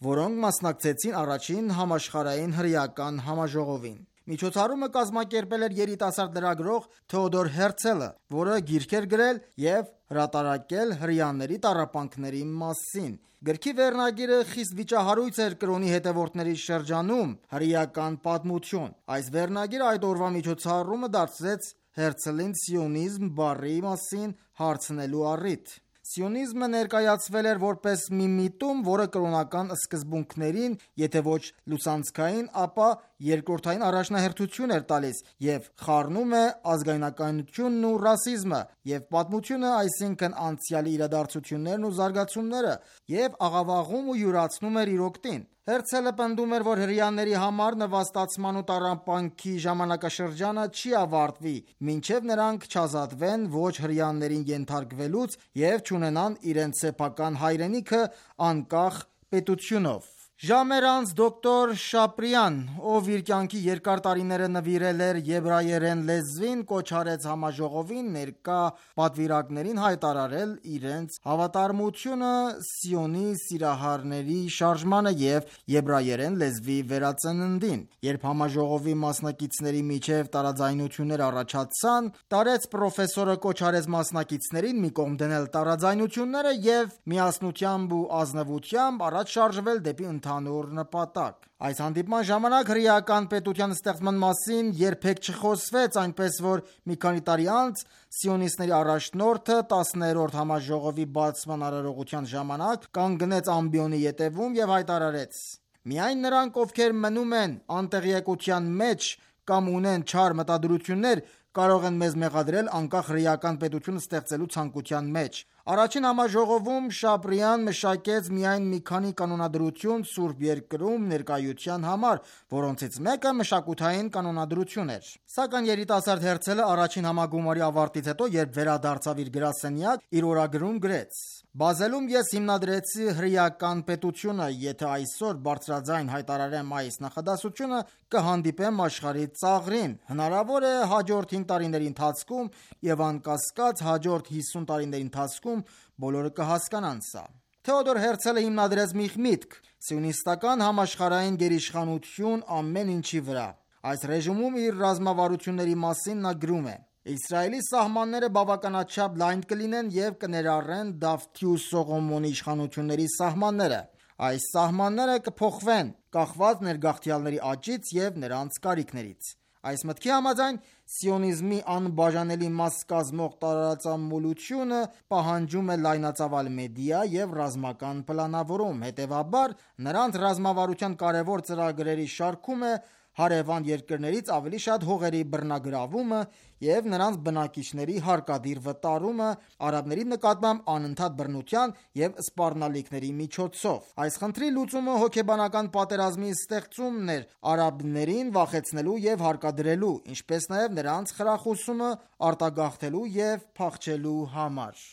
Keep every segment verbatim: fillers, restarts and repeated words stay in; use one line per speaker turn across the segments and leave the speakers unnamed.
որոնք մասնակցեցին առաջին համաշխարհային հրեական համաժողովին։ Միջոցառումը կազմակերպել էր երիտասարդ լրագրող Թեոդոր Հերցելը, որը գիրք էր գրել և հրատարակել հրեաների տառապանքների մասին։ Գրքի վերնագիրը խիստ վիճահարույց էր կրոնի հետևորդների շրջանում՝ հրեական պատմություն։ Այս վերնագիրը այդ օրվա միջոցառումը դարձրեց Հերցլին սիոնիզմ բառի մասին հարցնելու առիթ։ Սիոնիզմը ներկայացվել էր որպես մի միտում, որը կրոնական սկզբունքներին եթե ոչ լուսանցքային, ապա երկրորդային առաջնահերթություն էր տալիս և խառնում է ազգայնականությունն ու ռասիզմը և պատմությունը, այսինքն անցյալի իրադարձություններն ու զարգացումները, և աղավաղում ու յուրացնում էր իր օգտին։ Հերցելը պնդում էր, որ հրեաների համար նվաստացման ու տառապանքի ժամանակաշրջանը չի ավարտվի, մինչև նրանք չազատվեն ոչ հրեաներին ենթարկվելուց և չունենան իրենց սեփական հայրենիքը անկախ պետությունով։ Ժամեր անց դոկտոր Շապրյան, ով իր կյանքի երկար տարիները նվիրել էր եբրայերեն լեզվին, կոչ արեց համաժողովին ներկա պատվիրակներին հայտարարել իրենց հավատարմությունը Սիոնի սիրահարների շարժմանը և եբրայերեն լեզվի վերածննդին։ Երբ համաժողովի մասնակիցների միջև տարաձայնություններ առաջացան, տարեց պրոֆեսորը կոչ արեց մասնակիցներին մի կողմ դնել տարաձայնությունները և միասնությամբ ու ազնվությամբ առաջ շարժվել դեպի ընդհանուր նպատակ։ Այս հանդիպման ժամանակ հրեական պետության ստեղծման մասին երբեք չխոսվեց, այնպես որ մի քանի տարի անց սիոնիստների առաջնորդը տասներորդ համաժողովի բացման արարողության ժամանակ կանգնեց ամբիոնի ետևում և հայտարարեց. «Միայն նրանք, ովքեր մնում են անտեղյակության մեջ կամ ունեն չար մտադրություններ, կարող են մեզ մեղադրել անկախ հրեական պետություն ստեղծելու ցանկության մեջ»։ Առաջին համաժողովում Շապրյան մշակեց միայն մի քանի կանոնադրություն Սուրբ Երկրում ներկայության համար, որոնցից մեկը մշակութային կանոնադրություն էր։ Սակայն երիտասարդ Հերցելը առաջին համագումարի ավարտից հետո, երբ վերադարձավ իր գրասենյակ, իր օրագրում գրեց. «Բազելում ես հիմնադրեցի հրեական պետությունը, եթե այսօր բարձրաձայն հայտարարեմ այս նախադասությունը, կհանդիպեմ աշխարհի ծաղրին։ Հնարավոր է հաջորդ հինգ տարիների ընթացքում և անկասկած հաջորդ հիսուն տարիների ընթացքում բոլորը կհասկանան սա»։ Թեոդոր Հերցելը հիմնադրեց մի միտք՝ սիոնիստական համաշխարհային գերիշխանություն ամեն ինչի վրա։ Այս ռեժիմում իր ռազմավարությունների մասին նա գրում է. «Իսրայելի սահմանները բավականաչափ լայն կլինեն և կներառեն Դավթի ու Սողոմոնի իշխանությունների սահմանները։ Այս սահմանները կփոխվեն՝ կախված ներգաղթյալների աճից և նրանց կարիքներից»։ Այս մտքի համաձայն, սիոնիզմի անբաժանելի մաս կազմող տարածամոլությունը պահանջում է լայնածավալ մեդիա և ռազմական պլանավորում։ Հետևաբար, նրանց ռազմավարության կարևոր ծրագրերի շարքում է հարևան երկրներից ավելի շատ հողերի բռնագրավումը և նրանց բնակիչների հարկադիր վտարումը արաբների նկատմամբ անընդհատ բռնության և սպառնալիքների միջոցով։ Այս խնդրի լուծումը հոգեբանական պատերազմի ստեղծումն էր արաբներին վախեցնելու և հարկադրելու, ինչպես նաև նրանց խրախուսումը արտագաղթելու և փախչելու համար։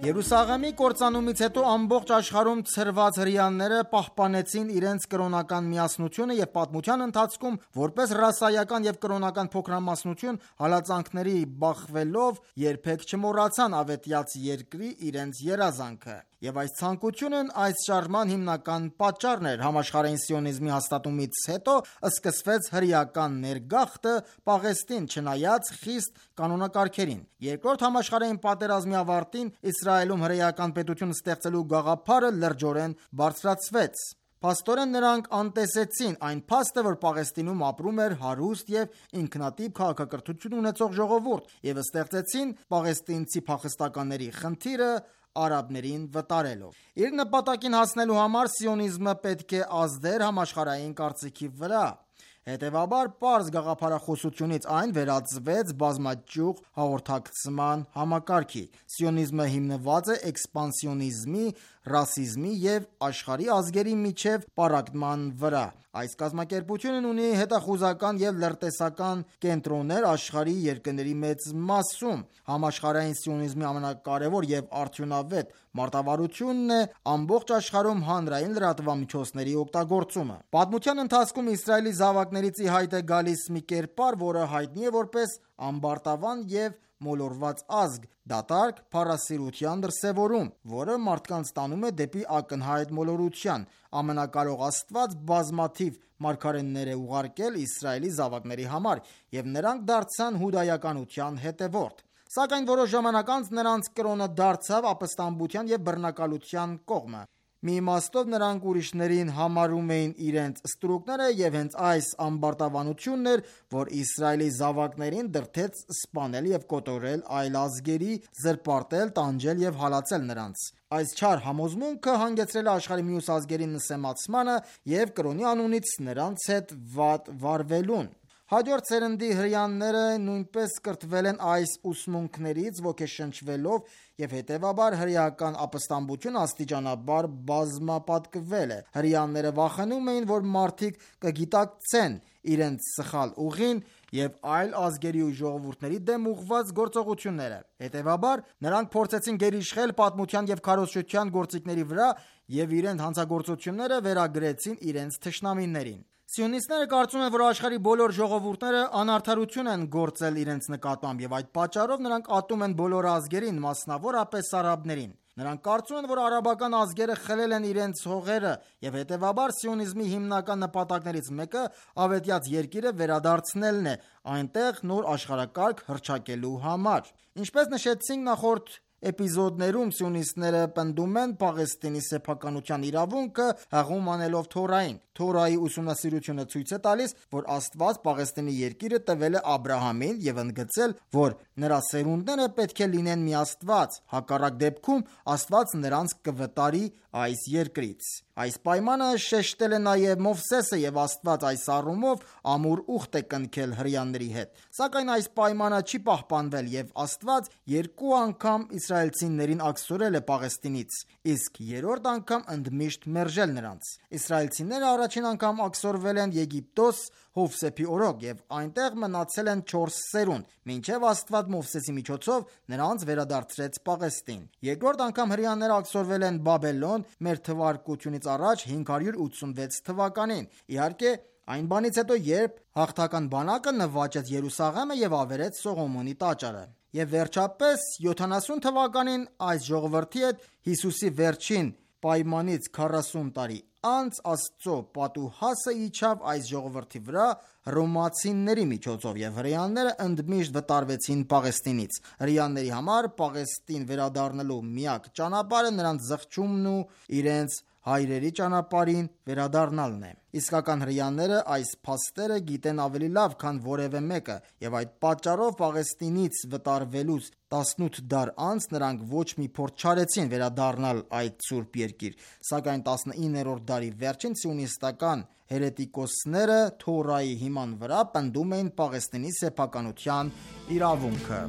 Երուսաղեմի կործանումից հետո ամբողջ աշխարհում ցրված հրեաները պահպանեցին իրենց կրոնական միասնությունը և պատմության ընթացքում, որպես ռասայական և կրոնական փոքրամասնություն, հալածանքների բախվելով, երբեք չմոռացան ավետյաց երկրի իրենց երազանքը։ Եվ այս ցանկությունն այս շարժման հիմնական պատճառն էր։ Համաշխարհային սիոնիզմի հաստատումից հետո սկսվեց հրեական ներգաղթը Պաղեստին, չնայած խիստ կանոնակարգերին։ Երկրորդ համաշխարհային պատերազմի ավարտին Իսրայելում հրեական պետություն ստեղծելու գաղափարը լրջորեն բարձրացվեց։ Փաստորեն նրանք անտեսեցին այն փաստը, որ Պաղեստինում ապրում էր հարուստ և ինքնատիպ քաղաքակրթություն ունեցող ժողովուրդ, և ստեղծեցին պաղեստինցի փախստականների խնդիրը արաբներին վտարելով։ Իր նպատակին հասնելու համար սիոնիզմը պետք է ազդեր համաշխարհային կարծիքի վրա։ Հետևաբար, պարզ գաղափարախոսությունից այն վերածվեց բազմաճյուղ հաղորդակցման համակարգի։ Սիոնիզմը հիմնված է էքսպանսիոնիզմի, ռասիզմի և աշխարհի ազգերի միջև պառակտման վրա։ Այս կազմակերպությունն ունի հետախուզական և լրտեսական կենտրոններ աշխարհի երկրների մեծ մասում։ Համաշխարհային սիոնիզմի ամենակարևոր և արդյունավետ մարտավարությունն է ամբողջ աշխարհում հանրային լրատվամիջոցների օգտագործումը։ Պատմության ընթացքում Իսրայելի զավակներից ի հայտ է գալիս մի կերպար, որը հայտնի է որպես ամբարտավան և մոլորված ազգ, դատարկ փառասիրության դրսևորում, որը մարդկանց տանում է դեպի ակնհայտ մոլորության։ Ամենակարող Աստված բազմաթիվ մարգարեներ է ուղարկել Իսրայելի զավակների համար, և նրանք դարձան հուդայականության հետևորդ։ Սակայն որոշ ժամանակ անց նրանց կրոնը դարձավ ապստամբության և բռնակալության կողմը։ Մի իմաստով նրանք ուրիշներին համարում էին իրենց ստրուկները, և հենց այս ամբարտավանությունն էր, որ Իսրայելի զավակներին դրդեց սպանել և կոտորել այլ ազգերի, զրպարտել, տանջել և հալածել նրանց։ Այս չար համոզմունքը հանգեցրել է աշխարհի մյուս ազգերի նսեմացմանը և կրոնի անունից նրանց հետ վատ վարվելուն։ Հաջորդ սերնդի հրեաները նույնպես կրթվել են այս ուսմունքներից ոգեշնչվելով, և հետևաբար հրեական ապստամբությունը աստիճանաբար բազմապատկվել է։ Հրեաները վախենում էին, որ մարդիկ կգիտակցեն իրենց սխալ ուղին և այլ ազգերի ու ժողովուրդների դեմ ուղղված գործողությունները։ Հետևաբար, նրանք փորձեցին գերիշխել պատմության և քարոզչության գործիքների վրա և իրենց հանցագործությունները վերագրեցին իրենց թշնամիներին։ Սիոնիստները կարծում են, որ աշխարհի բոլոր ժողովուրդները անարդարություն են գործել իրենց նկատմամբ, և այդ պատճառով նրանք ատում են բոլոր ազգերին, մասնավորապես արաբներին։ Նրանք կարծում են, որ արաբական ազգերը խլել են իրենց հողերը, և հետևաբար սիոնիզմի հիմնական նպատակներից մեկը ավետյաց երկիրը վերադարձնելն է այնտեղ նոր աշխարհակարգ հռչակելու համար։ Ինչպես նշեցինք նախորդ էպիզոդներում, սիոնիստները պնդում են Պաղեստինի սեփականության իրավունքը հղում անելով Թորային։ Թորայի ուսումնասիրությունը ցույց է տալիս, որ Աստված Պաղեստինի երկիրը տվել է Աբրահամին և ընդգծել, որ նրա սերունդները պետք է լինեն միաստված, հակառակ դեպքում Աստված նրանց կվտարի այս երկրից։ Այս պայմանը շեշտել է նաև Մովսեսը, և Աստված այս առումով ամուր ուխտ է կնքել հրեաների հետ։ Սակայն այս պայմանը չի պահպանվել, և Աստված երկու անգամ իսրայելցիներին աքսորել է Պաղեստինից, իսկ երրորդ անգամ ընդմիշտ մերժել նրանց։ Իսրայելցիները առաջին անգամ աքսորվել են Եգիպտոս Հովսեփի օրոք և այնտեղ մնացել են չորս սերունդ, մինչև Աստված Մովսեսի միջոցով նրանց վերադարձրեց Պաղեստին։ Երկրորդ անգամ հրեաները աքսորվել են Բաբելոն մ.թ.ա. հինգ հարյուր ութսունվեց թվականին։ Իհարկե, այն բանից հետո, երբ հաղթական բանակը նվաճեց Երուսաղեմը և ավերեց Սողոմոնի տաճարը։ Եվ վերջապես յոթանասուն թվականին այս ժողովրդի հետ Հիսուսի վերջին պայմանից քառասուն տարի անց Աստծո պատուհասը իջավ այս ժողովրդի վրա հռոմեացիների միջոցով, և հրեաները ընդմիշտ վտարվեցին Պաղեստինից։ Հրեաների համար Պաղեստին վերադառնալու միակ ճանապարհը նրանց զղջումն ու իրենց հայրերի ճանապարհին վերադառնալն է։ Իսկական հրեաները այս փաստերը գիտեն ավելի լավ, քան որևէ մեկը, և այդ պատճառով Պաղեստինից վտարվելուց տասնութ դար անց նրանք ոչ մի փորձ չարեցին վերադառնալ այդ սուրբ երկիր։ Սակայն տասնիններորդ դարի վերջին սիոնիստական հերետիկոսները Թորայի հիման վրա պնդում էին Պաղեստինի սեփականության իրավունքը։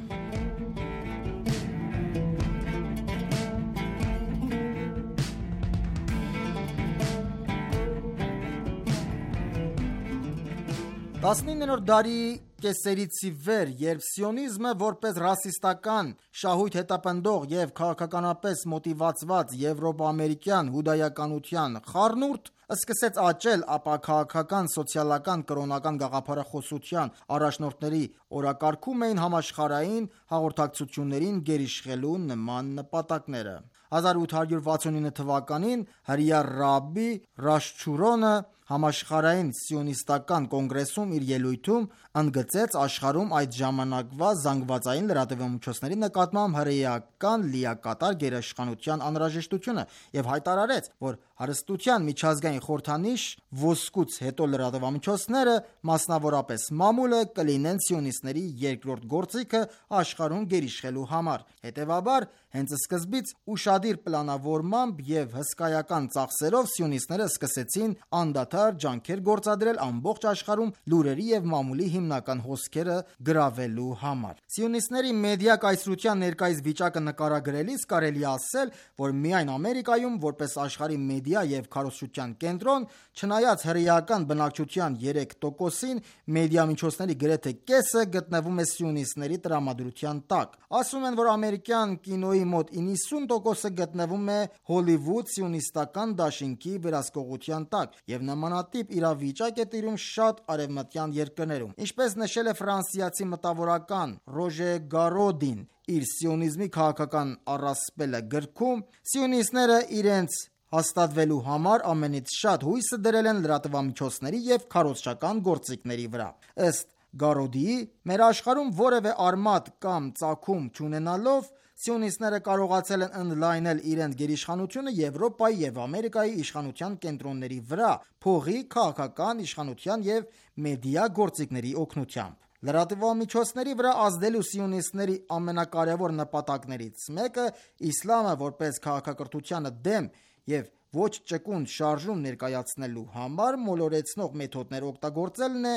տասնիններորդ դարի կեսերից ի վեր, երբ սիոնիզմը որպես ռասիստական, շահույթ հետապնդող և քաղաքականապես մոտիվացված եվրոպա-ամերիկյան հուդայականության խառնուրդ սկսեց աճել, ապա քաղաքական, սոցիալական, կրոնական գաղափարախոսության առաջնորդների օրակարգում էին համաշխարհային հաղորդակցություններին գերիշխելու նման նպատակները։ հազար ութ հարյուր վաթսունինը թվականին հրեա ռաբբի Ռաշչուրոնը համաշխարհային սիոնիստական կոնգրեսում իր ելույթում ընդգծեց աշխարհում այդ ժամանակվա զանգվածային լրատվամիջոցների նկատմամբ հրեական լիակատար գերիշխանության անհրաժեշտությունը և հայտարարեց, որ հարստության միջազգային խորհրդանիշ ոսկուց հետո լրատվամիջոցները, մասնավորապես մամուլը, կլինեն սիոնիստների երկրորդ գործիքը աշխարհում գերիշխելու համար։ Հետևաբար, հենց սկզբից ուշադիր պլանավորմամբ և հսկայական ծախսերով սիոնիստները սկսեցին անդադար ջանքեր գործադրել ամբողջ աշխարհում լուրերի և մամուլի հիմնական հոսքերը գրավելու համար։ Սիոնիստների մեդիա կայսրության ներկայիս վիճակը նկարագրելիս կարելի է ասել, որ միայն Ամերիկայում, որպես աշխարհի մեդիա և քարոզչության կենտրոն, չնայած հրեական բնակչության երեք տոկոսին, մեդիամիջոցների գրեթե կեսը գտնվում է սիոնիստների տրամադրության տակ։ Ասում են, որ ամերիկյան կինոյի մոտ իննսուն տոկոսը գտնվում է Հոլիվուդ սիոնիստական դաշինքի վերահսկողության տակ, և նմանատիպ իրավիճակ է տիրում շատ արևմտյան երկրներում։ Ինչպես նշել է ֆրանսիացի մտավորական Ռոժե Գարոդին իր «Սիոնիզմի քաղաքական առասպելը» գրքում, սիոնիստները իրենց հաստատվելու համար ամենից շատ հույսը դրել են լրատվամիջոցների և քարոզչական գործիքների վրա։ Ըստ Գարոդիի, մեր աշխարհում որևէ արմատ կամ ծագում չունենալով, սիոնիստները կարողացել են ընդլայնել իրենց գերիշխանությունը Եվրոպայի և Ամերիկայի իշխանության կենտրոնների վրա՝ փողի, քաղաքական իշխանության և մեդիա գործիքների օգնությամբ։ Լրատվամիջոցների վրա ազդելու սիոնիստների ամենակարևոր նպատակներից մեկը իսլամը որպես քաղաքակրթությանը դեմ և ոչ ճկուն շարժում ներկայացնելու համար մոլորեցնող մեթոդներ օգտագործելն է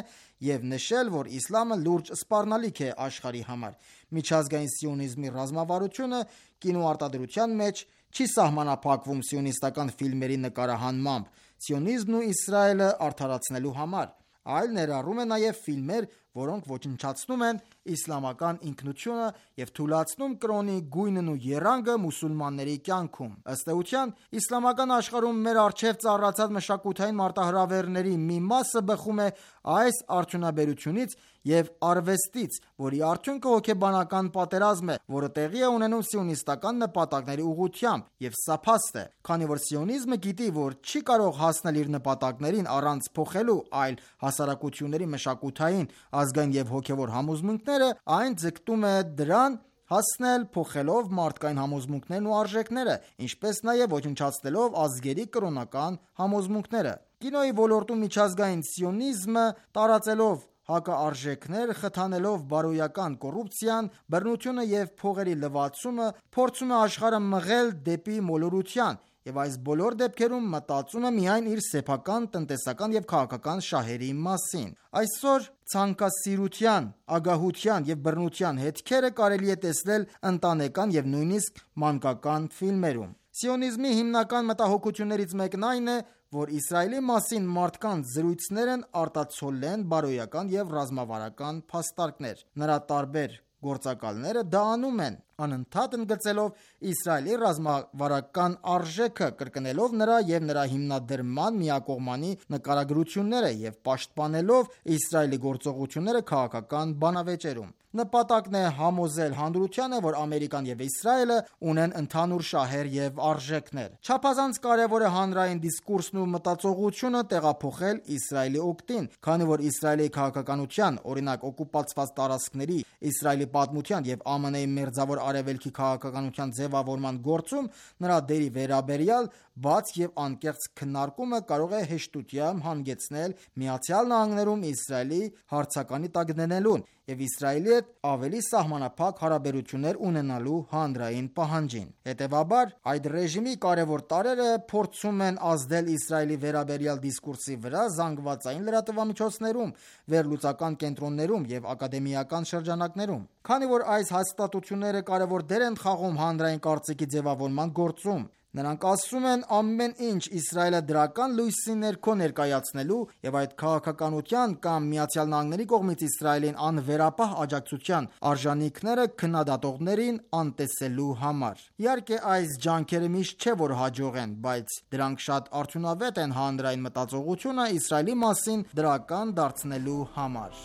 և նշել, որ իսլամը լուրջ սպառնալիք է աշխարհի համար։ Միջազգային սիոնիզմի ռազմավարությունը կինոարտադրության մեջ չի սահմանափակվում սիոնիստական ֆիլմերի նկարահանմամբ «Սիոնիզմն ու Իսրայելը արդարացնելու համար», այլ ներառում է նաև ֆիլմեր, որոնք ոչնչացնում են իսլամական ինքնությունը և թուլացնում կրոնի գույնն ու եռանկը մուսուլմանների կյանքում։ Ըստ էության, իսլամական աշխարհում մեր առջև ծառացած մշակութային մարտահրավերների մի մասը բխում է այս արդյունաբերությունից և արվեստից, որի արդյունքը հոգեբանական պատերազմ է, որը տեղի է ունենում սիոնիստական նպատակների ուղղությամբ, և սա փաստ է, քանի որ սիոնիզմը գիտի, որ չի կարող հասնել իր նպատակներին առանց փոխելու այլ հասարակությունների մշակութային, ազգային և հոգևոր համոզմունքները, այն ձգտում է դրան հասնել փոխելով մարդկային համոզմունքներն ու արժեքները, ինչպես նաև ոչնչացնելով ազգերի կրոնական համոզմունքները։ Կինոյի ոլորտում միջազգային սիոնիզմը, տարածելով հակաարժեքներ, խթանելով բարոյական կոռուպցիան, բռնությունը և փողերի լվացումը, փորձում է աշխարհը մղել դեպի մոլորության և այս բոլոր դեպքերում մտածում է միայն իր սեփական, տնտեսական և քաղաքական շահերի մասին։ Այսօր ցանկասիրության, ագահության և բռնության հետքերը կարելի է տեսնել ընտանեկան և նույնիսկ մանկական ֆիլմերում։ Սիոնիզմի հիմնական մտահոգություններից մեկն այն է, որ Իսրայելի մասին մարդկանց զրույցներն արտացոլեն բարոյական և ռազմավարական փաստարկներ։ Նրա տարբեր գործակալները դա անում են, անընդհատ ընդգծելով Իսրայելի ռազմավարական արժեքը, կրկնելով նրա և նրա հիմնադրման միակողմանի նկարագրությունները և պաշտպանելով Իսրայելի գործողությունները քաղաքական բանավեճերում։ Նպատակն է համոզել հանրությանը, որ Ամերիկան և Իսրայելը ունեն ընդհանուր շահեր և արժեքներ։ Չափազանց կարևոր է հանրային դիսկուրսն ու մտածողությունը տեղափոխել Իսրայելի օգտին, քանի որ Իսրայելի քաղաքականության, օրինակ օկուպացված տարածքների, Իսրայելի պատմության և ԱՄՆ –ի Մերձավոր Արևելքի քաղաքականության ձևավորման գործում նրա դերի վերաբերյալ բաց և անկեղծ քննարկումը կարող է հեշտությամբ հանգեցնել Միացյալ Նահանգներում Իսրայելի հարցականի տակ դնելուն և Իսրայելի հետ ավելի սահմանափակ հարաբերություններ ունենալու հանրային պահանջին։ Հետևաբար, այդ ռեժիմի կարևոր տարրերը փորձում են ազդել Իսրայելի վերաբերյալ դիսկուրսի վրա զանգվածային լրատվամիջոցներում, վերլուծական կենտրոններում և ակադեմիական շրջանակներում։ Քանի որ այս հաստատությունները կարևոր դեր են խաղում հանրային կարծիքի ձևավորման գործում, նրանք ասում են ամեն ինչ Իսրայելը դրական լույսի ներքո ներկայացնելու և այդ քաղաքականության կամ Միացյալ Նահանգների կողմից Իսրայելին անվերապահ աջակցության արժանինքները քննադատողներին անտեսելու համար։ Իհարկե, այս ջանքերը միշտ չէ, որ հաջող են, բայց դրանք շատ արդյունավետ են հանրային մտածողությունը Իսրայելի մասին դրական դարձնելու համար։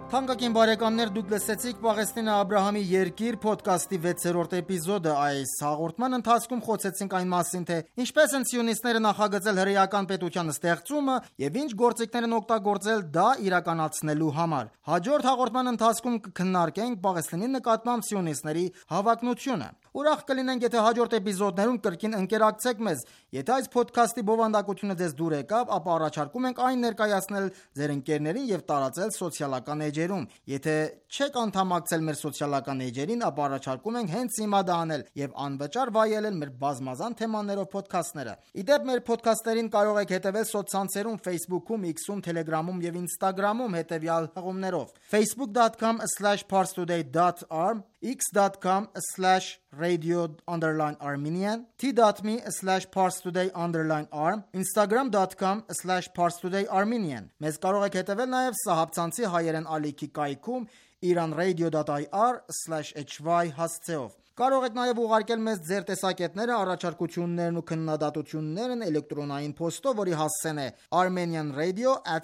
Թանկագին բարեկամներ, դուք լսեցիք Պաղեստինը Աբրահամի երկիր փոդքասթի վեցերորդ էպիզոդը։ Այս հաղորդման ընթացքում խոսեցինք այն մասին, թե ինչպես են սիոնիստները նախագծել հրեական պետության ստեղծումը եւ ինչ գործիքներ են օգտագործել դա իրականացնելու համար։ Հաջորդ հաղորդման ընթացքում կքննարկենք Պաղեստինի նկատմամբ սիոնիստների հավակնությունը։ Ուրախ կլինենք, եթե հաջորդ էպիզոդներում կրկին ընկերակցեք մեզ։ Եթե այս փոդքասթի բովանդակությունը ձեզ դուր եկավ, ապա առաջարկում ենք այն ներկայացնել ձեր ընկերներին եւ տարածել սոցիալական էջերում։ Եթե չեք անդամակցել մեր սոցիալական էջերին, ապա առաջարկում ենք հենց հիմա դա անել եւ անվճար վայելել մեր բազմազան թեմաներով փոդքասթները։ Իդեպ մեր փոդքասթերին կարող եք հետևել սոցցանցերում Facebook-ում, X-ում, Telegram-ում եւ Instagram-ում հետեւյալ հղումներով. facebook dot com slash parstoday dot arm, x dot com slash radio underline armenian, t dot m e slash parstoday underline arm, instagram dot com slash parstoday armenian։ Մեզ կարող եք հետևել նաև Սահաբցանցի հայերեն ալիքի կայքում iranradio dot i r slash h y հասցեով։ Կարող եք նաև ուղարկել մեզ ձեր տեսակետները, առաջարկություններն ու քննադատություններն էլեկտրոնային փոստով, որի հասցեն է armenianradio at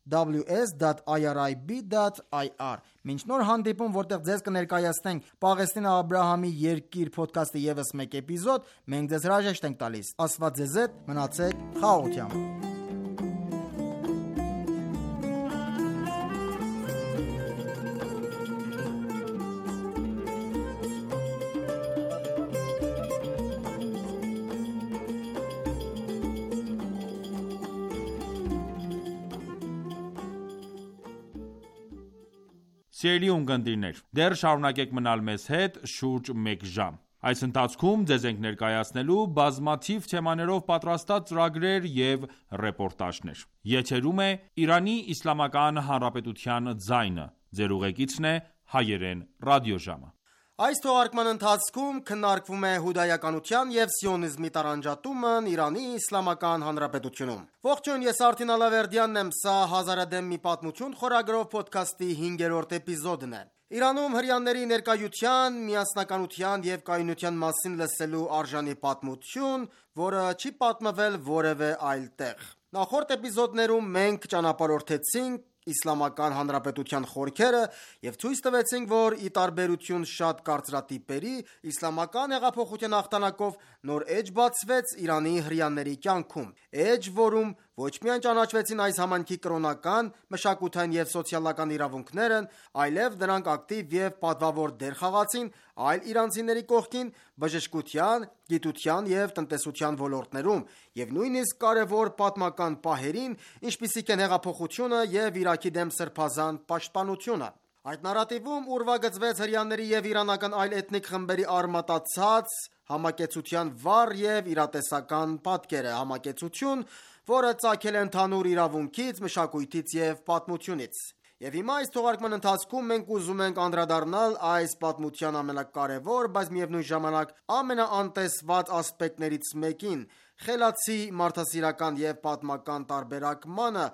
w s dot i r i b dot i r։ Մինչ նոր հանդիպում, որտեղ ձեզ կներկայացնենք Պաղեստինը Աբրահամի երկիր փոդքասթի ևս մեկ էպիզոդ, մենք ձեզ հրաժեշտ ենք տալիս։ Աստված ձեզ հետ, մնացեք խաղաղությամբ։
Սիրելի ունկնդիրներ, դեռ շարունակեք մնալ մեզ հետ շուրջ մեկ ժամ։ Այս ընթացքում ձեզ ենք ներկայացնելու բազմաթիվ թեմաներով պատրաստած ծրագրեր և ռեպորտաժներ։ Եթերում է Իրանի Իսլամական Հանրապետության ձայնը։ Ձեր ուղեկիցն է հայերեն ռադիոժամը։
Այս թողարկման ընթացքում քննարկվում է հուդայականության և սիոնիզմի տարանջատումն Իրանի Իսլամական Հանրապետությունում։ Ողջույն, ես Արթին Ալավերդյանն եմ, սա «Հազարադեմ մի պատմություն» խորագրով փոդքասթի հինգերորդ էպիզոդն է։ Իրանում հրեաների ներկայության, միասնականության և կայունության մասին լսելու արժանի պատմություն, որը չի պատմվել որևէ այլ տեղ։ Նախորդ էպիզոդներում մենք ճանապարհորդեցինք Իսլամական Հանրապետության խորքերը և ցույց տվեցինք, որ ի տարբերություն շատ կարծրատիպերի, իսլամական հեղափոխության հաղթանակով նոր էջ բացվեց Իրանի հրեաների կյանքում։ Էջ, որում ոչ միայն ճանաչվեցին այս համայնքի կրոնական, մշակութային և սոցիալական իրավունքներն, այլև դրանք ակտիվ և պատվավոր դեր խաղացին այլ իրանցիների կողքին բժշկության, գիտության և տնտեսության ոլորտներում և նույնիսկ կարևոր պատմական պահերին, ինչպիսիք են հեղափոխությունը և Իրաքի դեմ սրբազան պաշտպանությունը։ Այդ նարատիվում ուրվագծվեց հրեաների և իրանական այլ էթնիկ խմբերի արմատացած համակեցության վառ և իրատեսական պատկերը, համակեցություն, որը ծագել է ընդհանուր իրավունքից, մշակույթից և պատմությունից։ Եվ հիմա այս թողարկման ընթացքում մենք ուզում ենք անդրադառնալ այս պատմության ամենակարևոր, բայց միևնույն ժամանակ ամենաանտեսված ասպեկտներից մեկին՝ խելացի մարդասիրական և պատմական տարբերակմանը,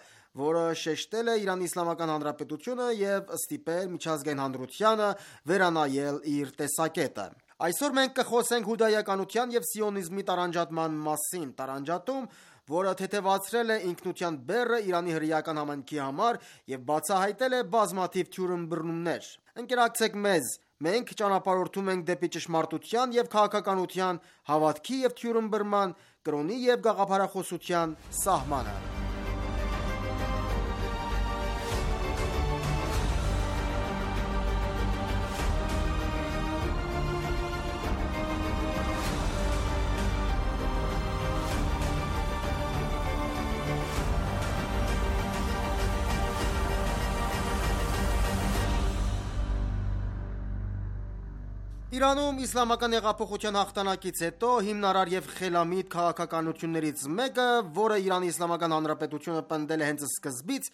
որը շեշտել է Իրանի Իսլամական Հանրապետությունը և ստիպել միջազգային հանրությանը վերանայել իր տեսակետը։ Այսօր մենք կխոսենք հուդայականության և սիոնիզմի տարանջատման մասին։ Տարանջատում, որը թեթևացրել է ինքնության բեռը Իրանի հրեական համայնքի համար և բացահայտել է բազմաթիվ թյուրըմբռնումներ։ Ընկերակցեք մեզ, մենք ճանապարհորդում ենք դեպի ճշմարտության և քաղաքականության, հավատքի և թյուրըմբռնման, կրոնի և գաղափարախոսության սահմանը։ Իրանում իսլամական հեղափոխության հաղթանակից հետո հիմնարար և խելամիտ քաղաքականություններից մեկը, որը Իրանի Իսլամական Հանրապետությունը պնդել է հենց սկզբից,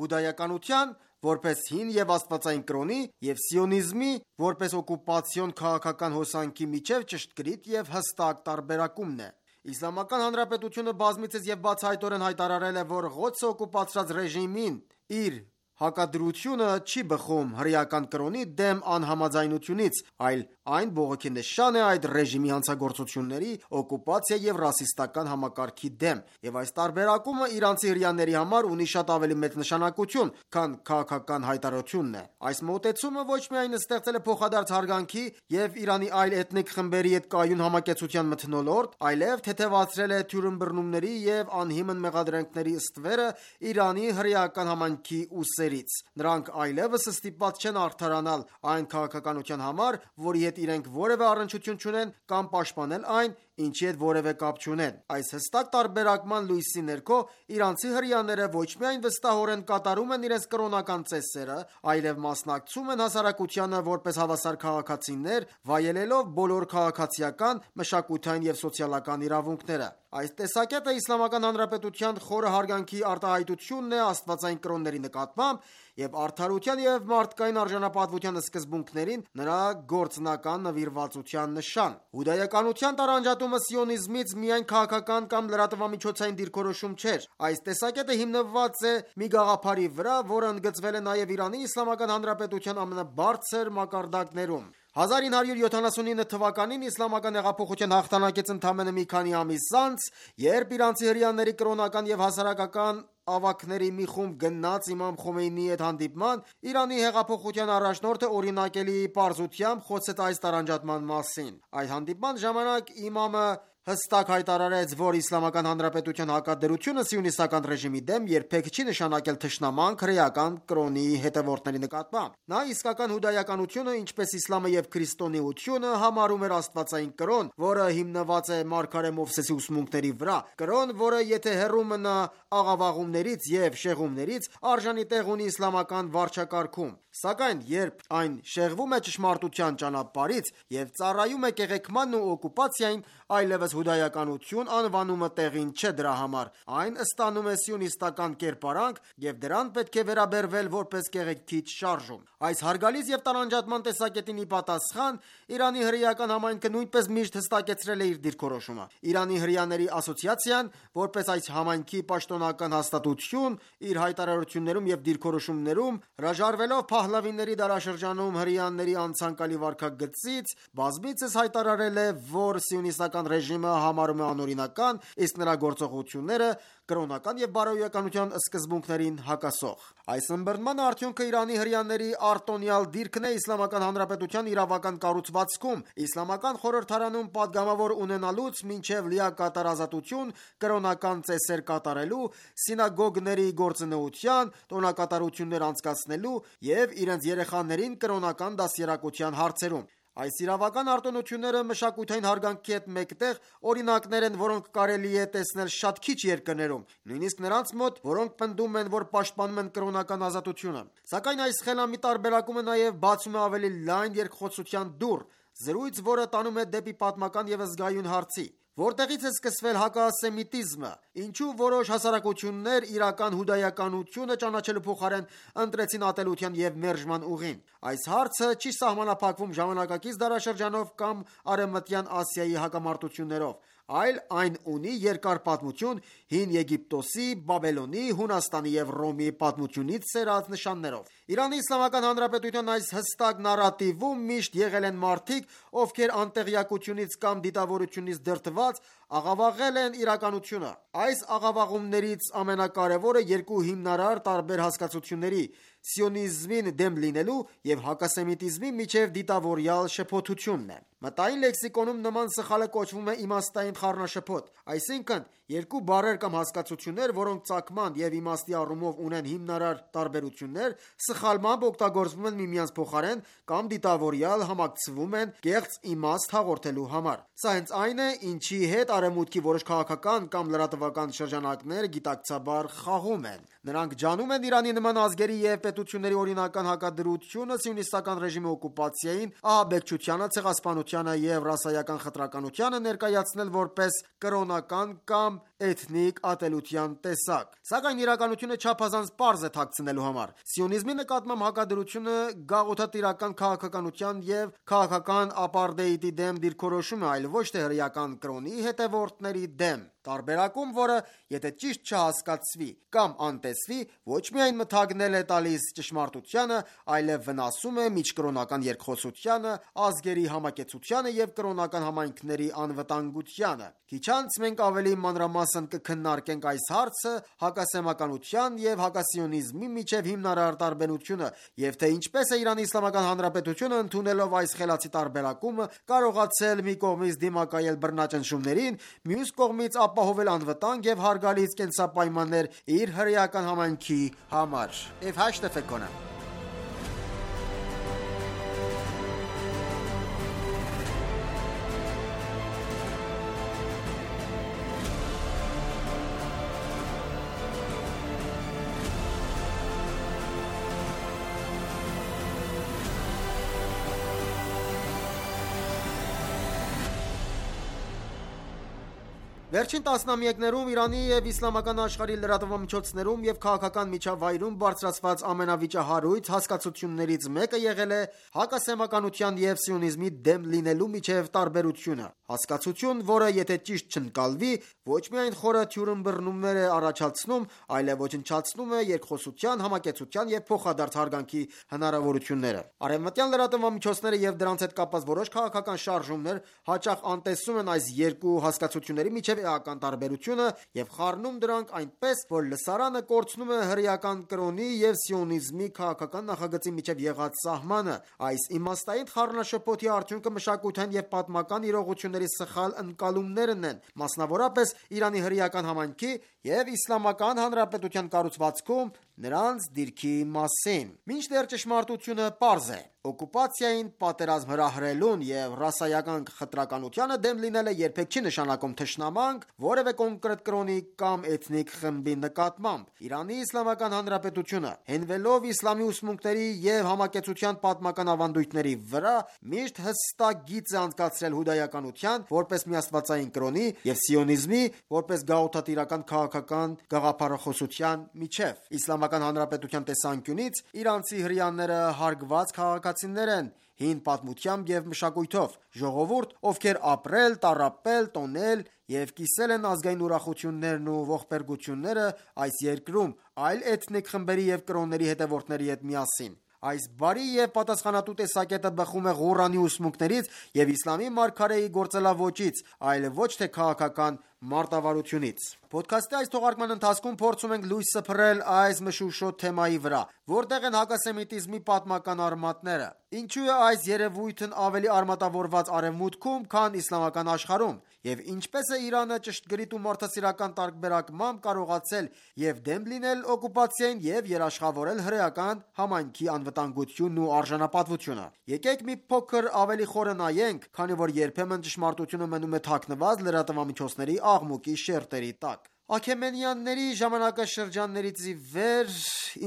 հուդայականության, որպես հին և աստվածային կրոնի, և սիոնիզմի, որպես օկուպացիոն քաղաքական հոսանքի միջև ճշգրիտ և հստակ տարբերակումն է։ Իսլամական Հանրապետությունը բազմիցս և բացահայտորեն հայտարարել է, որ Ղոդսը օկուպացրած ռեժիմին իր հակադրությունը չի բխում հրեական կրոնի դեմ անհամաձայնությունից, այլ այն բողոքի նշան է այդ ռեժիմի հանցագործությունների, օկուպացիա և ռասիստական համակարգի դեմ, և այս տարբերակումը իրանցի հրեաների համար ունի շատ ավելի մեծ նշանակություն, քան քաղաքական հայտարարությունն է։ Այս մոտեցումը ոչ միայն ստեղծել է փոխադարձ հարգանքի և Իրանի այլ էթնիկ խմբերի հետ կայուն համակեցության մթնոլորտ, այլև թեթևացրել է թյուրըմբռնումների և անհիմն մեղադրանքների ստվերը Իրանի հրեական համայնքի ուսերից։ Նրանք այլևս ստիպված չեն արդարանալ այն քաղաքականության համար, որի հետ իրենք որևէ առնչություն չունեն, կամ պաշտպանել այն, ինչի հետ որևէ կապ չունեն։ Այս հստակ տարբերակման լույսի ներքո իրանցի հրեաները ոչ միայն վստահորեն կատարում են իրենց կրոնական ծեսերը, այլև մասնակցում են հասարակությանը որպես հավասար քաղաքացիներ, վայելելով բոլոր քաղաքացիական, մշակութային և սոցիալական իրավունքները։ Այս տեսակետը Իսլամական Հանրապետության խորը հարգանքի արտահայտությունն է աստվածային կրոնների նկատմամբ և արդարության և մարդկային արժանապատվության սկզբունքներին նրա գործնական նվիրվածության նշան։ Հուդայականության տարանջատումը սիոնիզմից միայն քաղաքական կամ լրատվամիջոցային դիրքորոշում չէր։ Այս տեսակետը հիմնված է մի գաղափարի վրա, որը ընդգծվել է նաև Իրանի Իսլամական Հանրապետության ամենաբարձր մակարդակներում։ հազար ինը հարյուր յոթանասունինը թվականին իսլամական հեղափոխության հաղթանակից ընդամենը մի քանի ամիս անց, երբ իրանցի հրեաների կրոնական և հասարակական ավագների մի խումբ գնաց իմամ Խոմեյնիի հետ հանդիպման, Իրանի հեղափոխության առաջնորդը օրինակելի պարզությամբ խոսեց այս տարանջատման մասին։ Այդ հանդիպման ժամանակ իմամը հստակ հայտարարեց, որ Իսլամական Հանրապետության հակադրությունը սիոնիստական ռեժիմի դեմ երբեք չի նշանակել թշնամանք հրեական կրոնի հետևորդների նկատմամբ։ Նա իսկական հուդայականությունը, ինչպես իսլամը և քրիստոնեությունը, համարում էր աստվածային կրոն, որը հիմնված է մարգարե Մովսեսի ուսմունքների վրա, կրոն, որը եթե հեռու մնա աղավաղումներից և շեղումներից, արժանի տեղ ունի իսլամական վարչակարգում, սակայն երբ այն շեղվում է ճշմարտության ճանապարհից և ծառայում է կեղեքմանն ու օկուպացիային, այլևս հուդայականություն անվանումը տեղին չէ դրա համար, այն ստանում է սիոնիստական կերպարանք և դրան պետք է վերաբերվել որպես կեղեքիչ շարժում։ Այս հարգալից և տարանջատման տեսակետին ի պատասխան, Իրանի հրեական համայնքը նույնպես միշտ հստակեցրել է իր դիրքորոշումը։ Իրանի հրեաների ասոցիացիան, որպես այս համայնքի պաշտոնական հաստատություն, իր հայտարարություններում և դիրքորոշումներում, հրաժարվելով Փահլավիների դարաշրջանում հրեաների անցանկալի վարքագծից, բազմիցս հայտարարել է, որ սիոնիստական ռեժիմը համարում է անօրինական, իսկ նրա գործողությունները կրոնական և բարոյականության սկզբունքներին հակասող։ Այս ըմբռնման արդյունքը Իրանի հրեաների արտոնյալ դիրքն է Իսլամական Հանրապետության իրավական կառուցվածքում, իսլամական խորհրդարանում պատգամավոր ունենալուց մինչև լիակատար ազատություն կրոնական ծեսեր կատարելու, սինագոգների գործունեության, տոնակատարություններ անցկացնելու և իրենց երեխաներին կրոնական դաստիարակության հարցերում։ Այս իրավական արտոնությունները մշակութային հարգանքի հետ մեկտեղ օրինակներ են, որոնք կարելի է տեսնել շատ քիչ երկրներում, նույնիսկ նրանց մոտ, որոնք պնդում են, որ պաշտպանում են կրոնական ազատությունը։ Սակայն այս խելամիտ տարբերակումը նաև բացում է ավելի լայն երկխոսության դուռ, զրույց, որը տանում է դեպի պատմական և զգայուն հարցի. Որտեղից է սկսվել հակասեմիտիզմը, ինչու որոշ հասարակություններ իրական հուդայականությունը ճանաչելու փոխարեն ընտրեցին ատելության և մերժման ուղին։ Այս հարցը չի սահմանափակվում ժամանակակից դարաշրջանով կամ Արևմտյան Ասիայի հակամարտություններով, այլ այն ունի երկար պատմություն Հին Եգիպտոսի, Բաբելոնի, Հունաստանի և Ռոմի պատմությունից սերած նշաններով։ Իրանի Իսլամական Հանրապետության այս հստակ նարատիվում միշտ եղել են մարդիկ, ովքեր անտեղյակությունից կամ դիտավորությունից դրդված աղավաղել են իրականությունը։ Այս աղավաղումներից ամենակարևորը երկու հիմնարար տարբեր հասկացությունների՝ սիոնիզմին դեմ լինելու և հակասեմիտիզմի միջև դիտավորյալ շփոթությունն է։ Մտային լեքսիկոնում նման սխալը կոչվում է իմաստային խառնաշփոթ, այսինքն՝ երկու բառեր կամ հասկացություններ, որոնք ծագման և իմաստի առումով ունեն հիմնարար տարբերություններ, սխալմամբ օգտագործվում են միմյանց փոխարեն կամ դիտավորյալ համակցվում են կեղծ իմաստ հաղորդելու համար։ Սա հենց այն է, ինչի հետ Արևմուտքի որոշ քաղաքական կամ լրատվական շրջանակներ գիտակցաբար խաղում են։ Նրանք ջանում են Իրանի նման ազգերի և պետությունների օրինական հակադրությունը սիոնիստական ռեժիմի օկուպացիային, ահաբեկչությանը, ցեղասպանությանը և ռասայական խտրականությանը ներկայացնել որպես կրոնական կամ էթնիկ ատելության տեսակ։ Սակայն իրականությունը չափազանց պարզ է թաքցնելու համար։ Սիոնիզմի նկատմամբ հակադրությունը գաղութատիրական քաղաքականության և քաղաքական ապարտեիդի դեմ դիրքորոշում է, այլ ոչ թե հրեական կրոնի հետևորդների դեմ։ Տարբերակում, որը եթե ճիշտ չհասկացվի կամ անտեսվի, ոչ միայն մթագնել է տալիս ճշմարտությանը, այլև վնասում է միջկրոնական երկխոսությանը, ազգերի համակեցությանը և կրոնական համայնքների անվտանգությանը։ Քիչ անց մենք ավելի մանրամասն կքննարկենք այս հարցը, հակասեմականության և հակասիոնիզմի միջև հիմնարար տարբերությունը, և թե ինչպես է Իրանի Իսլամական Հանրապետությունը ընդունելով այս խելացի տարբերակումը կարողացել մի կողմից դիմակայել բռնաճնշումներին, մյուս կողմից ապահովել անվտանգ և հարգալից կենսապայմաններ իր հրեական համայնքի համար։ Եվ հաշտը ֆեկոնը Վերջին տասնամյակներում Իրանի և իսլամական աշխարհի լրատվամիջոցներում և քաղաքական միջավայրում բարձրացված ամենավիճահարույց հասկացություններից մեկը եղել է հակասեմականության և սիոնիզմի դեմ լինելու միջև տարբերությունը։ Հասկացություն, որը եթե ճիշտ չընկալվի, ոչ միայն խորը թյուրըմբռնումներ է առաջացնում, այլև ոչնչացնում է երկխոսության, համակեցության և փոխադարձ հարգանքի հնարավորությունները։ Արևմտյան լրատվամիջոցները և դրանց հետ կապված որոշ քաղաքական շարժումներ հաճախ անտեսում են այս երկու հասկացությունների միջև էական տարբերությունը և խառնում դրանք այնպես, որ լսարանը կորցնում է հրեական կրոնի և սիոնիզմի քաղաքական նախագծի միջև եղած սահմանը։ Այս իմաստային խառնաշփոթի արդյունքը մշակութային և պատմական իրողությունների սխալ ընկալումներն են, մասնավորապես Իրանի հրեական համայնքի և Իսլամական Հանրապետության կառուցվածքում նրանց դիրքի մասին։ Մինչդեռ ճշմարտությունը պարզ է։ Օկուպացիային, պատերազմ հրահրելուն և ռասայական խտրականությանը դեմ լինելը երբեք չի նշանակում թշնամանք որևէ կոնկրետ կրոնի կամ էթնիկ խմբի նկատմամբ։ Իրանի Իսլամական Հանրապետությունը, հենվելով իսլամի ուսմունքների և համակեցության պատմական ավանդույթների վրա, միշտ հստակ գիծ է անցկացրել հուդայականության՝ որպես միաստվածային կրոնի և սիոնիզմի՝ որպես գաղութատիրական քաղաքական գաղափարախոսության միջև։ Իսլամական Հանրապետության տեսանկյունից իրանցի հրեաները հարգված քաղաքացիներ են հին պատմությամբ և մշակույթով, ժողովուրդ, ովքեր ապրել, տառապել, տոնել և կիսել են ազգային ուրախություններն ու ողբերգությունները այս երկրում այլ էթնիկ խմբերի և կրոնների հետևորդների հետ միասին։ Այս բարի և պատասխանատու տեսակետը բխում է Ղուրանի ուսմունքներից և իսլամի մարգարեի գործելաոճից, այլ ոչ թե քաղաքական մարտավարությունից։ Փոդքասթի այս թողարկման ընթացքում փորձում ենք լույս սփռել այս մշուշոտ թեմայի վրա, որտեղ են հակասեմիտիզմի պատմական արմատները, ինչու է այս երևույթն ավելի արմատավորված Արևմուտքում, քան իսլամական աշխարհում, և ինչպես է Իրանը ճշգրիտ ու մարդասիրական տարբերակմամբ կարողացել և դեմ լինել օկուպացիային և երաշխավորել հրեական համայնքի անվտանգությունն ու արժանապատվությունը։ Եկեք մի փոքր ավելի խորը նայենք, քանի որ երբեմն ճշմարտությունը մնում է թաքնված լրատվամիջոցների աղմուկի շերտերի տակ։ Աքեմենյանների ժամանակաշրջաններից ի վեր,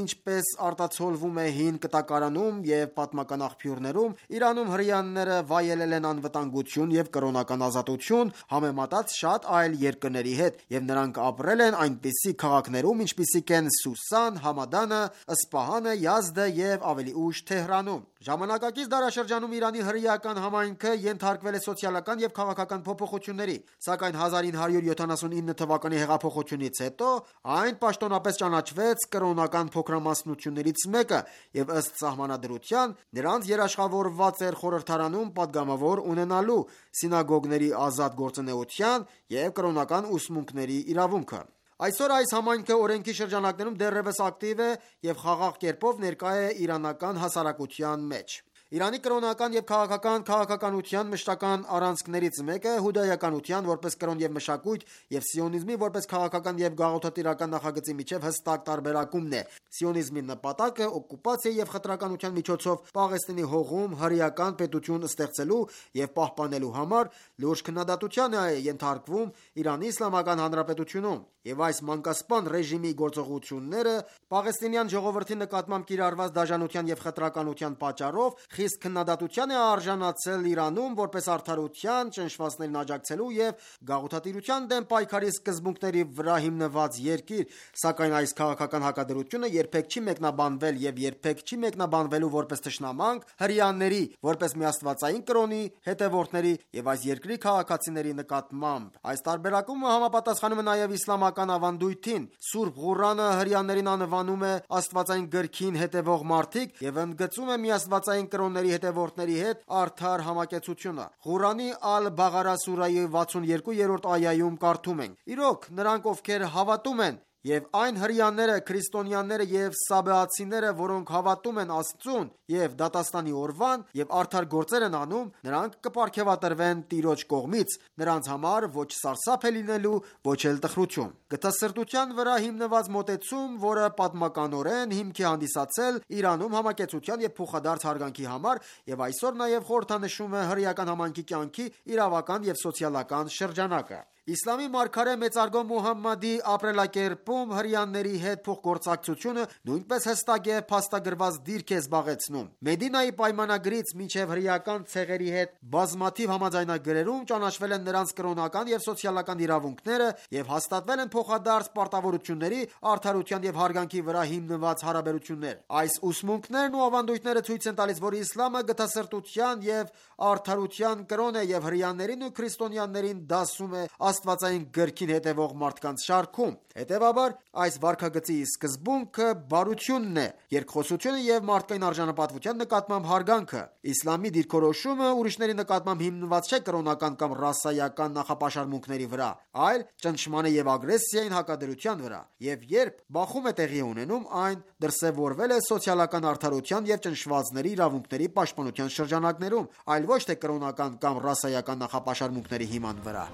ինչպես արտացոլվում է հին կտակարանում և պատմական աղբյուրներում, Իրանում հրեաները վայելել են անվտանգություն և կրոնական ազատություն համեմատած շատ այլ երկրների հետ, և նրանք ապրել են այնպիսի քաղաքներում, ինչպիսիք են Սուսան, Համադանը, Սպահանը, Յազդը և ավելի ուշ Թեհրանում։ Ժամանակակից դարաշրջանում Իրանի հրեական համայնքը ենթարկվել է սոցիալական և քաղաքական փոփոխությունների, սակայն հազար ինը հարյուր յոթանասունինը թվականի հեղափոխությունից հետո այն պաշտոնապես ճանաչվեց կրոնական փոքրամասնություններից մեկը և ըստ սահմանադրության նրանց երաշխավորված էր խորհրդարանում պատգամավոր ունենալու, սինագոգների ազատ գործունեության և կրոնական ուսմունքների իրավունքը։ Այսօր այս համայնքը օրենքի շրջանակներում դեռևս ակտիվ է և խաղաղ կերպով ներկա է իրանական հասարակության մեջ։ Իրանի կրոնական և քաղաքական քաղաքականության մշտական առանցքներից մեկը հուդայականության որպես կրոն և մշակույթ և սիոնիզմի որպես քաղաքական և գաղութատիրական նախագծի միջև հստակ տարբերակումն է։ Սիոնիզմի նպատակը օկուպացիա և խտրականության միջոցով Պաղեստինի հողում հրեական պետություն ստեղծելու և պահպանելու համար լուրջ քննադատության է ենթարկվում Իրանի Իսլամական Հանրապետությունում, և այս մանկասպան ռեժիմի գործողությունները պաղեստինյան ժողովրդի նկատմամբ կիրառված դաժանության և խտրականության պատճառով խիստ խիստ քննադատության է արժանացել Իրանում որպես արդարության, ճնշվածներին աջակցելու և գաղութատիրության դեմ պայքարի սկզբունքների վրա հիմնված երկիր, սակայն այս քաղաքական հակադրությունը երբեք չի մեկնաբանվել և երբեք չի մեկնաբանվելու որպես թշնամանք հրեաների, որպես մի աստվածային կրոնի հետևորդների և այս երկրի քաղաքացիների նկատմամբ։ Այս տարբերակումը համապատասխանում է նաև իսլամական ավանդույթին։ Սուրբ Ղուրանը հրեաներին անվանում է աստվածային գրքին հետևող մարդիկ և ընդգծում է միաստվածային կրոնների հետևորդների հետ արդար համակեցությունը։ Ղուրանի Ալ-Բաղարա սուրայի վաթսունյոթերորդ այայում կարդում ենք. «Իրոք, նրանք, ովքեր հավատում են, և այն հրեաները, քրիստոնյաները և սաբեացիները, որոնք հավատում են Աստծուն և դատաստանի օրվան և արդար գործեր են անում, նրանք կպարգևատրվեն Տիրոջ կողմից, նրանց համար ոչ սարսափ է լինելու, ոչ էլ տխրություն»։ Գթասրտության վրա հիմնված մոտեցում, որը պատմականորեն հիմք է հանդիսացել Իրանում համակեցության և փոխադարձ հարգանքի համար և այսօր նաև խորհրդանշում է հրեական համայնքի կյանքի իրավական և սոցիալական շրջանակը։ Իսլամի մարգարե մեծարգո Մուհամմադի ապրելակերպում հրեաների հետ փոխգործակցությունը նույնպես հստակ և փաստագրված դիրք է զբաղեցնում։ Մեդինայի պայմանագրից մինչև հրեական ցեղերի հետ բազմաթիվ համաձայնագրերում ճանաչվել են նրանց կրոնական և սոցիալական իրավունքները և հաստատվել են փոխադարձ պարտավորությունների, արդարության և հարգանքի վրա հիմնված հարաբերություններ։ Այս ուսմունքներն ու ավանդույթները ցույց են տալիս, որ իսլամը գթասրտության և արդարության կրոն է և հրեաներին ու քրիստոնյաներին դասում է աստվածային գրքին հետևող մարդկանց շարքում։ Հետևաբար, այս վարքագծի սկզբունքը բարությունն է, երկխոսությունը և մարդկային արժանապատվության նկատմամբ հարգանքը։ Իսլամի դիրքորոշումը ուրիշների նկատմամբ հիմնված չէ կրոնական կամ ռասայական նախապաշարմունքների վրա, այլ ճնշման և ագրեսիային հակադրության վրա, և երբ բախում է տեղի ունենում, այն դրսևորվել է սոցիալական արդարության և ճնշվածների իրավունքների պաշտպանության շրջանակներում, այլ ոչ թե կրոնական կամ ռասայական նախապաշարմունքների հիման վրա։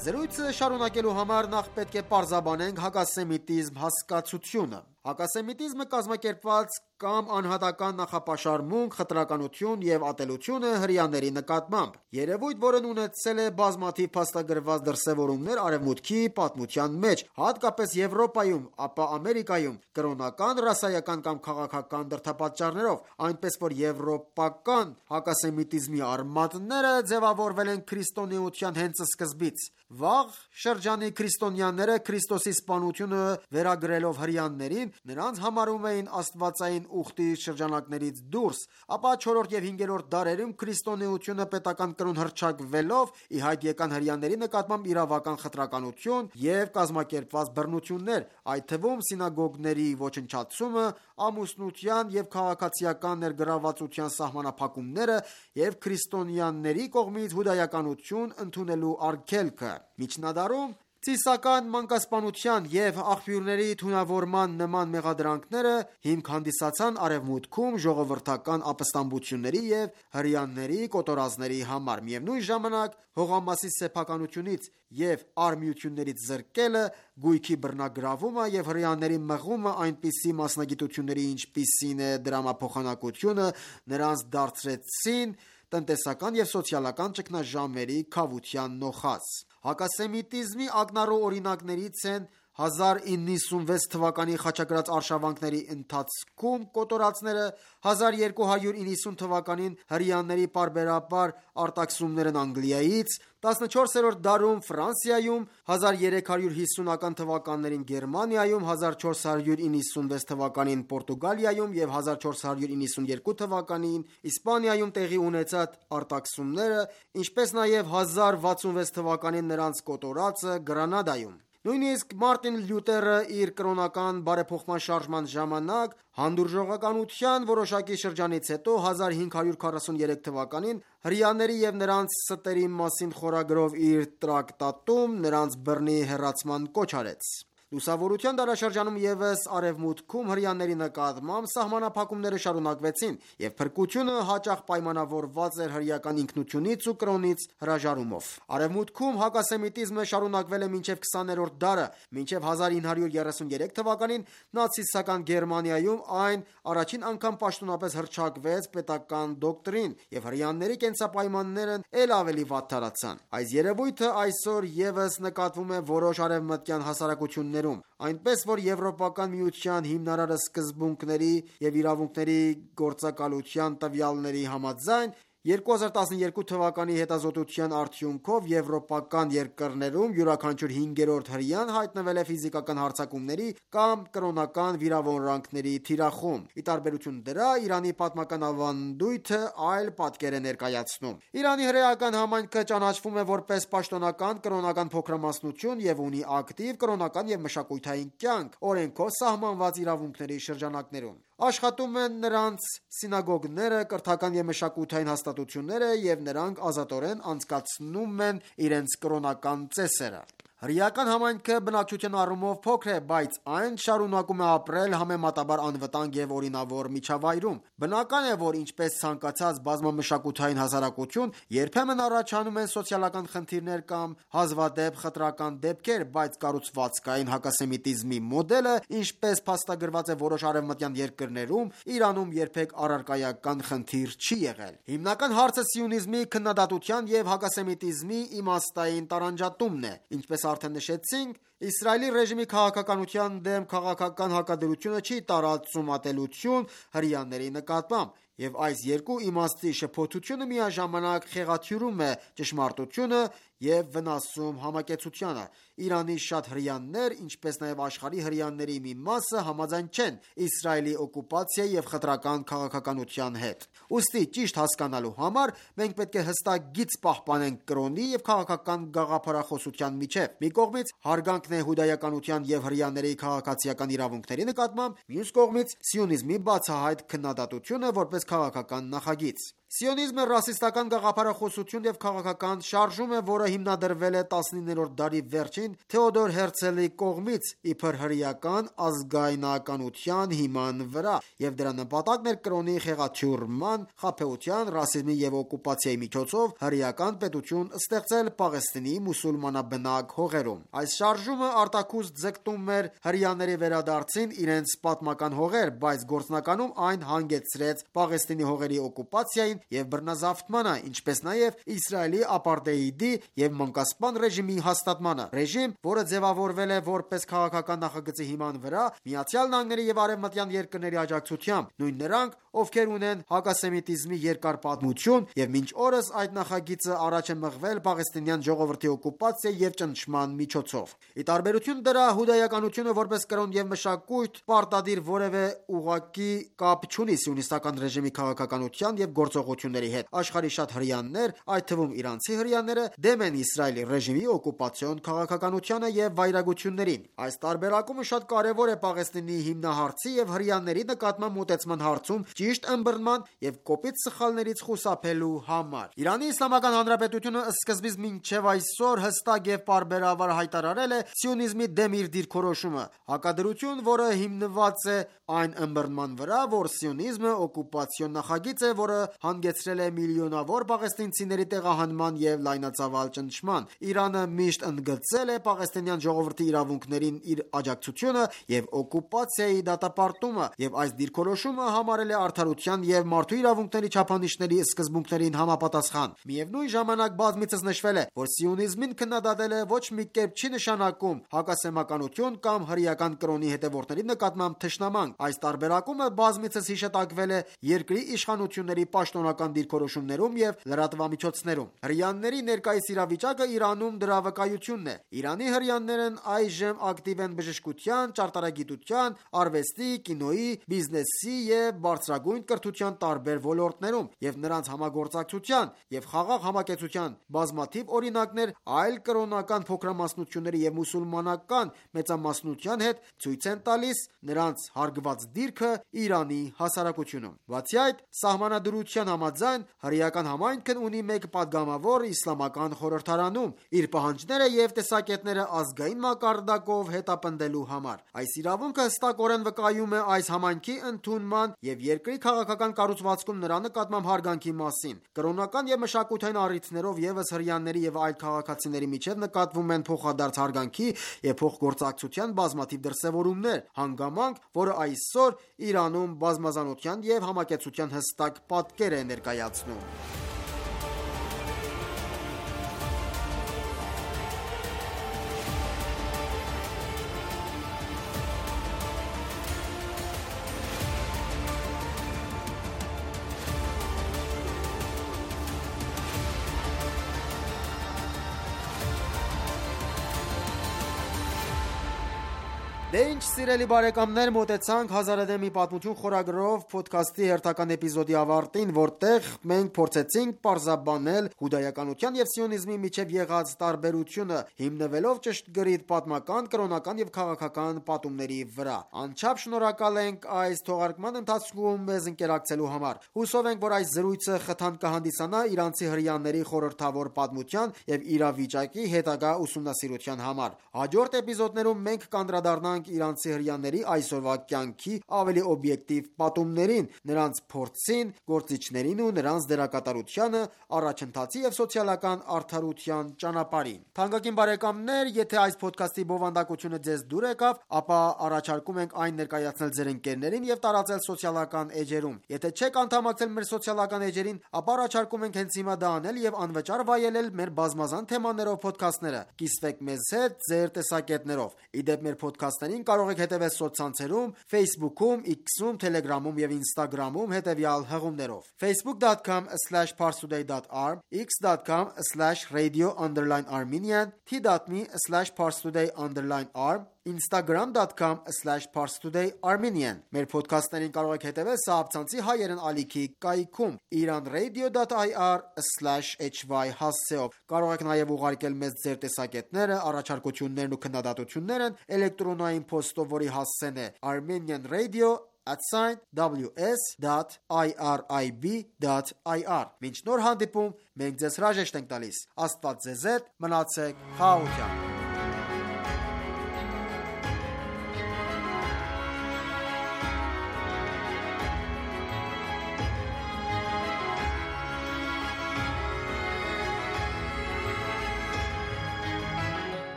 Զրույցը շարունակելու համար նախ պետք է պարզաբանենք հակասեմիտիզմ հասկացությունը։ Հակասեմիտիզմը կազմակերպված կամ անհատական նախապաշարմունք, խտրականություն և ատելություն է հրեաների նկատմամբ։ Երևույթ, որն ունեցել է բազմաթիվ փաստագրված դրսևորումներ Արևմուտքի պատմության մեջ, հատկապես Եվրոպայում, ապա Ամերիկայում, կրոնական, ռասայական կամ քաղաքական դրդապատճառներով, այնպես որ եվրոպական հակասեմիտիզմի արմատները ձևավորվել են քրիստոնեության հենց սկզբից։ Վաղ շրջանի քրիստոնյաները Քրիստոսի սպանությունը վերագրելով հրեաներին, նրանց համարում էին աստվածային ուխտի շրջանակներից դուրս, ապա չորրորդ և հինգերորդ դարերում քրիստոնեությունը պետական կրոն հռչակվելով ի հայտ եկան հրեաների նկատմամբ իրավական խտրականություն և կազմակերպված բռնություններ, այդ թվում սինագոգների ոչնչացումը, ամուսնության և քաղաքացիական ներգրավվածության սահմանափակումները և քրիստոնյաների կողմից հուդայականություն ընդունելու արգելքը։ Միջնադարում ծիսական մանկասպանության և աղբյուրների թունավորման նման մեղադրանքները հիմք հանդիսացան Արևմուտքում ժողովրդական ապստամբությունների և հրեաների կոտորածների համար։ Միևնույն ժամանակ, հողամասի սեփականությունից և արմիություններից զրկելը, գույքի բռնագրավումը և հրեաների մղումը այնպիսի մասնագիտությունների, ինչպիսին է դրամափոխանակությունը, նրանց դարձրեցին տնտեսական և սոցիալական ճգնաժամերի քավության նոխազ։ Հակասեմիտիզմի ակնառու օրինակներից են հազար իննսուն հիսունվեց թվականի խաչակրաց արշավանքների ընթացքում կոտորածները, հազար երկու հարյուր իննսուն թվականին հրեաների պարբերաբար արտաքսումներն Անգլիայից, տասնչորսերորդ դարում Ֆրանսիայում, հազար երեք հարյուր հիսունական թվականներին Գերմանիայում, հազար չորս հարյուր իննսունվեց թվականին Պորտուգալիայում և հազար չորս հարյուր իննսուն երկու թվականին Իսպանիայում տեղի ունեցած արտաքսումները, ինչպես նաև հազար վաթսունվեց թվականին նրանց կոտորածը Գրանադայում։ Նույնիսկ Մարտին Լյութերը իր կրոնական բարեփոխման շարժման ժամանակ հանդուրժողականության որոշակի շրջանից հետո հազար հինգ հարյուր քառասուներեք թվականին հրեաների և նրանց ստերի մասին խորագրով իր տրակտատում նրանց բռնի հեռացման կոչ արեց։ Լուսավորության դարաշրջանում ևս Արևմուտքում հրեաների նկատմամբ սահմանափակումները շարունակվեցին, և փրկությունը հաճախ պայմանավորված էր հրեական ինքնությունից ու կրոնից հրաժարումով։ Արևմուտքում հակասեմիտիզմը շարունակվել է մինչև քսաներորդ դարը, մինչև հազար ինը հարյուր երեսուններեք թվականին նացիստական Գերմանիայում այն առաջին անգամ պաշտոնապես հռչակվեց պետական դոկտրին, և հրեաների կենսապայմաններն էլ ավելի վատթարացան։ Այս երևույթը այսօր ևս նկատվում է որոշ արևմտյան հասարակություններում, այնպես որ Եվրոպական միության հիմնարար սկզբունքների և իրավունքների գործակալության տվյալների համաձայն երկու հազար տասնյոթ թվականի հետազոտության արդյունքով եվրոպական երկրներում յուրաքանչյուր հինգերորդ հրեան հայտնվել է ֆիզիկական հարձակումների կամ կրոնական վիրավորանքների թիրախում։ Ի տարբերություն դրա, Իրանի պատմական ավանդույթը այլ պատկեր է ներկայացնում։ Իրանի հրեական համայնքը ճանաչվում է որպես պաշտոնական կրոնական փոքրամասնություն և ունի ակտիվ կրոնական և մշակութային կյանք՝ օրենքով սահմանված իրավունքների շրջանակներում։ Աշխատում են նրանց սինագոգները, կրթական և մշակութային հաստատությունները, և նրանք ազատորեն անցկացնում են իրենց կրոնական ծեսերը։ Հրեական համայնքը բնակչության առումով փոքր է, բայց այն շարունակում է ապրել համեմատաբար անվտանգ և օրինավոր միջավայրում։ Բնական է, որ ինչպես ցանկացած բազմամշակութային հասարակություն, երբեմն առաջանում են սոցիալական խնդիրներ կամ հազվադեպ խտրական դեպքեր, բայց կառուցվածքային հակասեմիտիզմի մոդելը, ինչպես փաստագրված է որոշ արևմտյան երկրներում, Իրանում երբեք առարկայական խնդիր չի եղել։ Հիմնական հարցը սիոնիզմի քննադատության և հակասեմիտիզմի իմաստային տարանջատումն է։ Ինչպես արդեն նշեցինք, Իսրայելի ռեժիմի քաղաքականության դեմ քաղաքական հակադրությունը չի տարածում ատելություն հրեաների նկատմամբ, և այս երկու իմաստի շփոթությունը միաժամանակ խեղաթյուրում է ճշմարտությունը և վնասում համակեցությանը։ Իրանի շատ հրեաներ, ինչպես նաև աշխարհի հրեաների մի մասը համաձայն չեն Իսրայելի օկուպացիայի և խտրական քաղաքականության հետ։ Ուստի ճիշտ հասկանալու համար մենք պետք է հստակ գիծ պահպանենք կրոնի և քաղաքական գաղափարախոսության միջև։ Մի կողմից հարգանքն է հուդայականության և հրեաների քաղաքացիական իրավունքների նկատմամբ, մյուս կողմից սիոնիզմի բացահայտ քննադատությունը որպես քաղաքական նախագիծ։ Սիոնիզմը ռասիստական գաղափարախոսություն և քաղաքական շարժում է, որը հիմնադրվել է տասնիններորդ դարի վերջին Թեոդոր Հերցելի կողմից իբր հրեական ազգայնականության հիման վրա, և դրա նպատակն էր կրոնի խեղաթյուրման, խաբեության, ռասիզմի և օկուպացիայի միջոցով հրեական պետություն ստեղծել Պաղեստինի մուսուլմանաբնակ հողերում։ Այս շարժումը արտաքուստ ձգտում էր հրեաների վերադարձին իրենց պատմական հողեր, բայց գործնականում այն հանգեցրեց Պաղեստինի հողերի օկուպացիային և բռնազավթմանը, ինչպես նաև Իսրայելի ապարտեիդի և մանկասպան ռեժիմի հաստատմանը։ Ռեժիմ, որը ձևավորվել է որպես քաղաքական նախագծի հիման վրա ԱՄՆ-ի և արևմտյան երկրների աջակցությամբ, նույն նրանք, ովքեր ունեն հակասեմիտիզմի երկար պատմություն, և մինչ օրս այդ նախագիծը առաջ է մղվել պաղեստինյան ժողովրդի օկուպացիայի և ճնշման միջոցով։ Ի տարբերություն դրա, հուդայականությունը որպես կրոն և մշակույթ պարտադիր որևէ ուղղակի կապ չունի սիոնիստական ռեժիմի քաղաքականության և գործողությունների հետ։ Աշխարհի շատ հրեաներ, այդ թվում իրանցի հրեաները, դեմ են Իսրայելի ռեժիմի օկուպացիոն քաղաքականությանը և վայրագություններին։ Այս տարբերակումը շատ կարևոր է Պաղեստինի հիմնահարցի և հրեաների նկատմամբ մոտեցման հարցում ճիշտ ըմբռնման և կոպիտ սխալներից խուսափելու համար։ Իրանի Իսլամական Հանրապետությունը սկզբից մինչև այսօր հստակ և պարբերաբար հայտարարել է սիոնիզմի դեմ իր դիրքորոշումը։ Հակադրություն, որը հիմնված է այն ըմբռնման վրա, որ սիոնիզմը օկուպացիոն նախագիծ է, որը հանգեցրել է միլիոնավոր պաղեստինցիների տեղահանման և լայնածավալ ճնշման։ Իրանը միշտ ընդգծել է պաղեստինյան ժողովրդի իրավունքներին իր աջակցությունը և օկուպացիայի դատապարտումը, և այս դիրքորոշումը համարել է արդարության և մարդու իրավունքների չափանիշների սկզբունքներին համապատասխան։ Միևնույն ժամանակ բազմիցս նշվել է, որ սիոնիզմին քննադատելը ոչ մի կերպ չի նշանակում հակասեմականություն կամ հրեական կրոնի հետևորդների նկատմամբ թշնամանք։ Այս տարբերակումը բազմիցս հիշատակվել է երկրի իշխանությունների պաշտոնական դիրքորոշումներում և լրատվամիջոցներում։ Հրեաների ներկայիս իրավիճակը Իրանում դրա վկայությունն է։ Իրանի հրեաներն այժմ ակտիվ են բժշկության, ճարտարագիտության, արվեստի, կինոյի, բիզնեսի և բարձրագույն մեծագույն կրթության տարբեր ոլորտներում և նրանց համագործակցության և խաղաղ համակեցության բազմաթիվ օրինակներ այլ կրոնական փոքրամասնությունների և մուսուլմանական մեծամասնության հետ ցույց են տալիս նրանց հարգված դիրքը Իրանի հասարակությունում: Բացի այդ, Սահմանադրության համաձայն, հրեական համայնքն ունի մեկ պատգամավոր իսլամական խորհրդարանում՝ իր պահանջները և տեսակետները ազգային մակարդակով հետապնդելու համար: Այս իրավունքը հստակորեն վկայում է այս համայնքի ընդունման և երկրի քաղաքական կառուցվածքում նրա նկատմամբ հարգանքի մասին: Կրոնական և մշակութային առիթներով ևս հրեաների և այլ քաղաքացիների միջև նկատվում են փոխադարձ հարգանքի և փոխգործակցության բազմաթիվ դրսևորումներ, հանգամանք, որը այսօր Իրանում բազմազանության և համակեցության հստակ պատկեր է ներկայացնում: Դե ինչ սիրելի բարեկամներ, մոտեցանք «Հազարադեպ մի պատմություն» խորագրով փոդքասթի հերթական էպիզոդի ավարտին, որտեղ մենք փորձեցինք պարզաբանել հուդայականության և սիոնիզմի միջև եղած տարբերությունը, հիմնվելով ճշգրիտ պատմական, կրոնական և քաղաքական պատումների վրա: Անչափ շնորհակալ ենք այս թողարկման ընթացքում մեզ ընկերակցելու համար: Հուսով ենք, որ այս զրույցը խթան կհանդիսանա իրանցի հրեաների խորհրդավոր պատմության և իրավիճակի հետագա ուսումնասիրության համար: Հաջորդ էպիզոդներում մենք կանդրադառնանք իրանցի հրեաների այսօրվա կյանքի ավելի օբյեկտիվ պատումներին, նրանց փորձին, գործիչներին ու նրանց դերակատարությանը առաջընթացի և սոցիալական արդարության ճանապարհին: Թանկագին բարեկամներ, եթե այս փոդքասթի բովանդակությունը ձեզ դուր եկավ, ապա առաջարկում ենք այն ներկայացնել ձեր ընկերներին և տարածել սոցիալական էջերում: Եթե չեք անդամակցել մեր սոցիալական էջերին, ապա առաջարկում ենք հենց հիմա դա անել և անվճար վայելել մեր բազմազան թեմաներով փոդքասթները: Կիսվեք մեզ հետ ձեր տեսակետներով: Ի դեպ, մեր փոդքասթներին կարող եք հետևել սոցցանցերում, Facebook-ում, X-ում, Telegram-ում և Instagram-ում հետևյալ հղումներով: facebook dot com slash parstoday dot r, x dot com slash radio underscore armenian, t dot m e slash parstoday underscore r, instagram dot com slash parstoday armenian: Մեր փոդքասթներին կարող եք հետևել սահաբցանցի հայերեն ալիքի կայքում iranradio dot i r slash h y հասցեով: Կարող եք նաև ուղարկել մեզ ձեր տեսակետները, առաջարկություններն ու քննադատությունները էլեկտրոնային փոստով, որի հասցեն է armenian radio at w s dot irib dot i r: Մինչ նոր հանդիպում, մենք ձեզ հրաժեշտ ենք տալիս: Աստված ձեզ հետ, մնացեք խաղաղությամբ: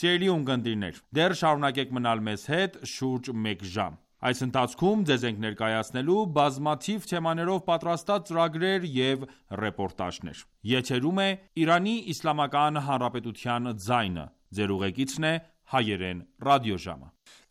Սիրելի ունկնդիրներ, դեռ շարունակեք մնալ մեզ հետ շուրջ մեկ ժամ: Այս ընթացքում ձեզ ենք ներկայացնելու բազմաթիվ թեմաներով պատրաստած ծրագրեր և ռեպորտաժներ: Եթերում է «Իրանի Իսլամական Հանրապետության ձայնը», Ձեր ուղեկիցն է Հայերեն ռադիոժամը: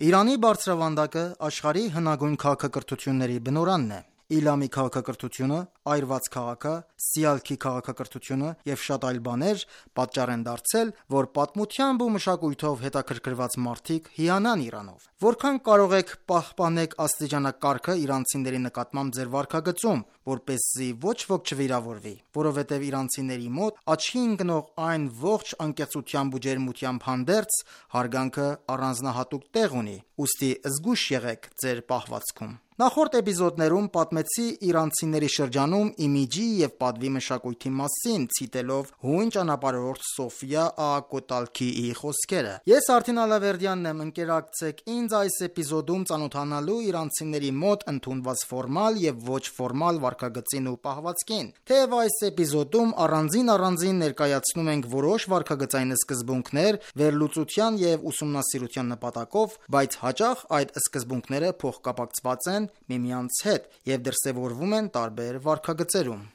Իրանի բարձրավանդակը աշխարհի հնագույն քաղաքակրթությունների բնօրանն է: Իլամի քաղաքակրթությունը, այրված քաղաքը, Սիալքի քաղաքակրթությունը և շատ այլ բաներ պատճառ են դարձել, որ պատմությամբ ու մշակույթով հետաքրքրված մարդիկ հիանան Իրանով: Որքան կարող եք պահպանեք աստիճանակարգը իրանցիների նկատմամբ ձեր վարքագծում, որպեսզի ոչ ոք չվիրավորվի: Որովհետև իրանցիների մոտ աչքի ընկնող այն ողջ անկեղծությամբ ու ջերմությամբ հանդերձ, հարգանքը առանձնահատուկ տեղ ունի: Ուստի զգույշ եղեք ձեր պահվածքում: Նախորդ էպիզոդներում պատմեցի իրանցիների շրջանում իմիջի և պատվի մշակույթի մասին, ցիտելով հույն ճանապարհորդ Սոֆյա Աղա Կոտալքիի խոսքերը: Ես Արթին Ալավերդյանն եմ: Ընկերակցեք ինձ այս էպիզոդում ծանոթանալու իրանցիների մոտ ընդունված ֆորմալ և ոչ ֆորմալ վարքագծին ու պահվածքին: Թեև այս էպիզոդում առանձին-առանձին ներկայացնում ենք որոշ վարքագծային սկզբունքներ վերլուծության և ուսումնասիրության նպատակով, բայց հաճախ այդ սկզբունքները փոխկապակցված են միմյանց հետ և դրսևորվում են տարբեր վարքագծերում: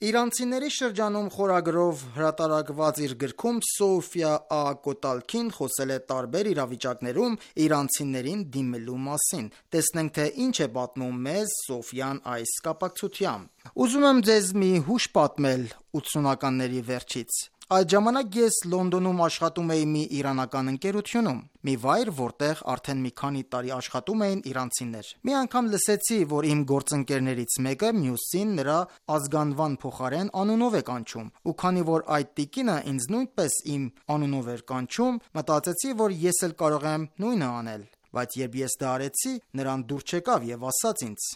Իրանցիների շրջանում խորագրով հրատարակված իր գրքում Սոֆյա Աղա Կոտալքին խոսել է տարբեր իրավիճակներում իրանցիներին դիմելու մասին: Տեսնենք, թե ինչ է պատմում մեզ Սոֆյան այս կապակցությամբ: Ուզում եմ ձեզ մի հուշ պատմել ութսունականների վերջից: Այդ ժամանակ ես Լոնդոնում աշխատում էի մի իրանական ընկերությունում, մի վայր, որտեղ արդեն մի քանի տարի աշխատում էին իրանցիներ։ Մի անգամ լսեցի, որ իմ գործընկերներից մեկը մյուսին նրա ազգանվան փոխարեն անունով է կանչում, ու քանի որ այդ տիկինը ինձ նույնպես իմ անունով էր կանչում, մտածեցի, որ ես էլ կարող եմ նույնը անել, բայց երբ ես դա արեցի, նրան դուր չեկավ եւ ասաց ինձ.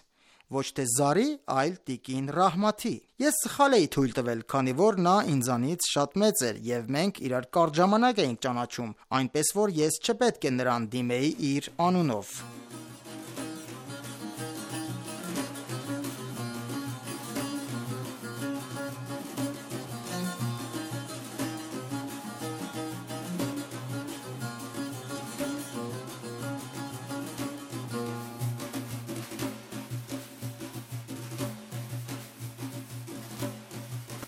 ոչ թե Զարի, այլ տիկին Ռահմաթի։ Ես սխալ էի թույլ տվել, քանի որ նա ինձանից շատ մեծ էր եւ մենք իրար կարճ ժամանակ էինք ճանաչում, այնպես որ ես չպետք է նրան դիմեի իր անունով։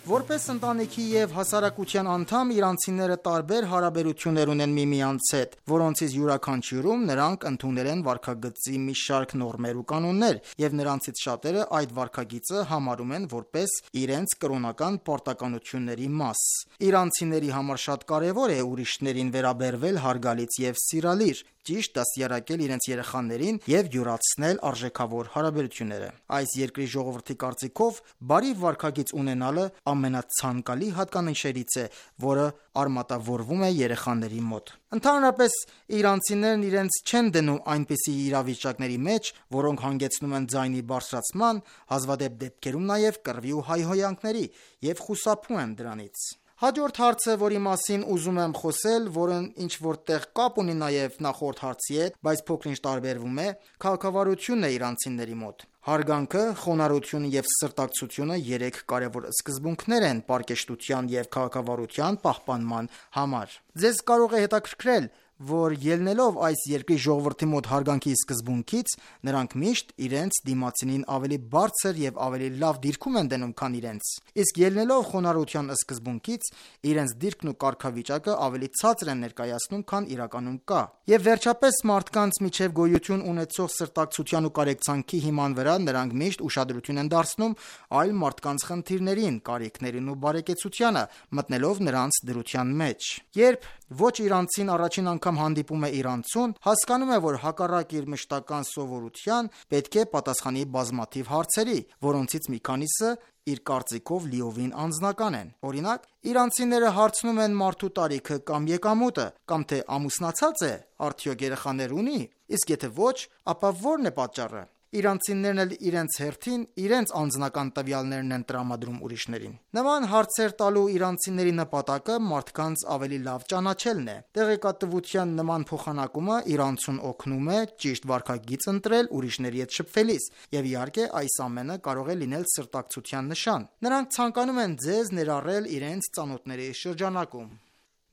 Որպես ընտանիքի և հասարակության անդամ, իրանցիները տարբեր հարաբերություններ ունեն միմյանց հետ, որոնցից յուրաքանչյուրում նրանք ընդունել են վարքագծի մի շարք նորմեր ու կանոններ, և նրանցից շատերը այդ վարքագիծը համարում են որպես իրենց կրոնական պարտականությունների մաս։ Իրանցիների համար շատ կարևոր է ուրիշներին վերաբերվել հարգալից և սիրալիր, ճիշտ դաստիարակել իրենց երեխաներին և յուրացնել արժեքավոր հարաբերությունները։ Այս երկրի ժողովրդի կարծիքով բարի վարքագիծ ունենալը ամենացանկալի հատկանիշներից է, որը արմատավորվում է երեխաների մոտ։ Ընդհանրապես, իրանցիներն իրենց չեն դնում այնպիսի իրավիճակների մեջ, որոնք հանգեցնում են ձայնի բարձրացման, հազվադեպ դեպքերում նաև կռվի ու հայհոյանքների, և խուսափում են դրանից։ Հաջորդ հարցը, որի մասին ուզում եմ խոսել, որն ինչ-որ տեղ կապ ունի նաև նախորդ հարցի հետ, բայց փոքր-ինչ տարբերվում է, քաղաքավարությունն է իրանցիների մոտ։ Հարգանքը, խոնարհությունը և սրտակցությունը երեք կարևոր սկզբունքներ են պարկեշտության և քաղաքավարության պահպանման համար։ Ձեզ կարող է հետաքրքրել, որ ելնելով այս երկրի ժողովրդի մոտ հարգանքի սկզբունքից, նրանք միշտ իրենց դիմացինին ավելի բարձր և ավելի լավ դիրքում են դնում, քան իրենց, իսկ ելնելով խոնարհության սկզբունքից, իրենց դիրքն ու կարգավիճակը ավելի ցածր են ներկայացնում, քան իրականում կա։ Եվ վերջապես, մարդկանց միջև գոյություն ունեցող սրտակցության ու կարեկցանքի հիման վրա նրանք միշտ ուշադրություն են դարձնում այլ մարդկանց խնդիրներին, կարիքներին ու բարեկեցությանը, մտնելով նրանց դրության մեջ։ Երբ ոչ իրանցին առաջին անգամ հանդիպում է իրանցուն, հասկանում է, որ հակառակ իր մշտական սովորության, պետք է պատասխանի բազմաթիվ հարցերի, որոնցից մի քանիսը իր կարծիքով լիովին անձնական են։ Օրինակ, իրանցիները հարցնում են մարդու տարիքը կամ եկամուտը, կամ թե ամուսնացած է, արդյոք երեխաներ ունի, իսկ եթե ոչ, ապա ո՞րն է պատճառը։ Իրանցիներն էլ իրենց հերթին իրենց անձնական տվյալներն են տրամադրում ուրիշներին։ Նման հարցեր տալու իրանցիների նպատակը մարդկանց ավելի լավ ճանաչելն է։ Տեղեկատվության նման փոխանակումը իրանցուն օգնում է ճիշտ վարքագիծ ընտրել ուրիշների հետ շփվելիս, եւ իհարկե այս ամենը կարող է լինել սրտակցության նշան։ Նրանք ցանկանում են ձեզ ներառել իրենց ծանոթների շրջանակում։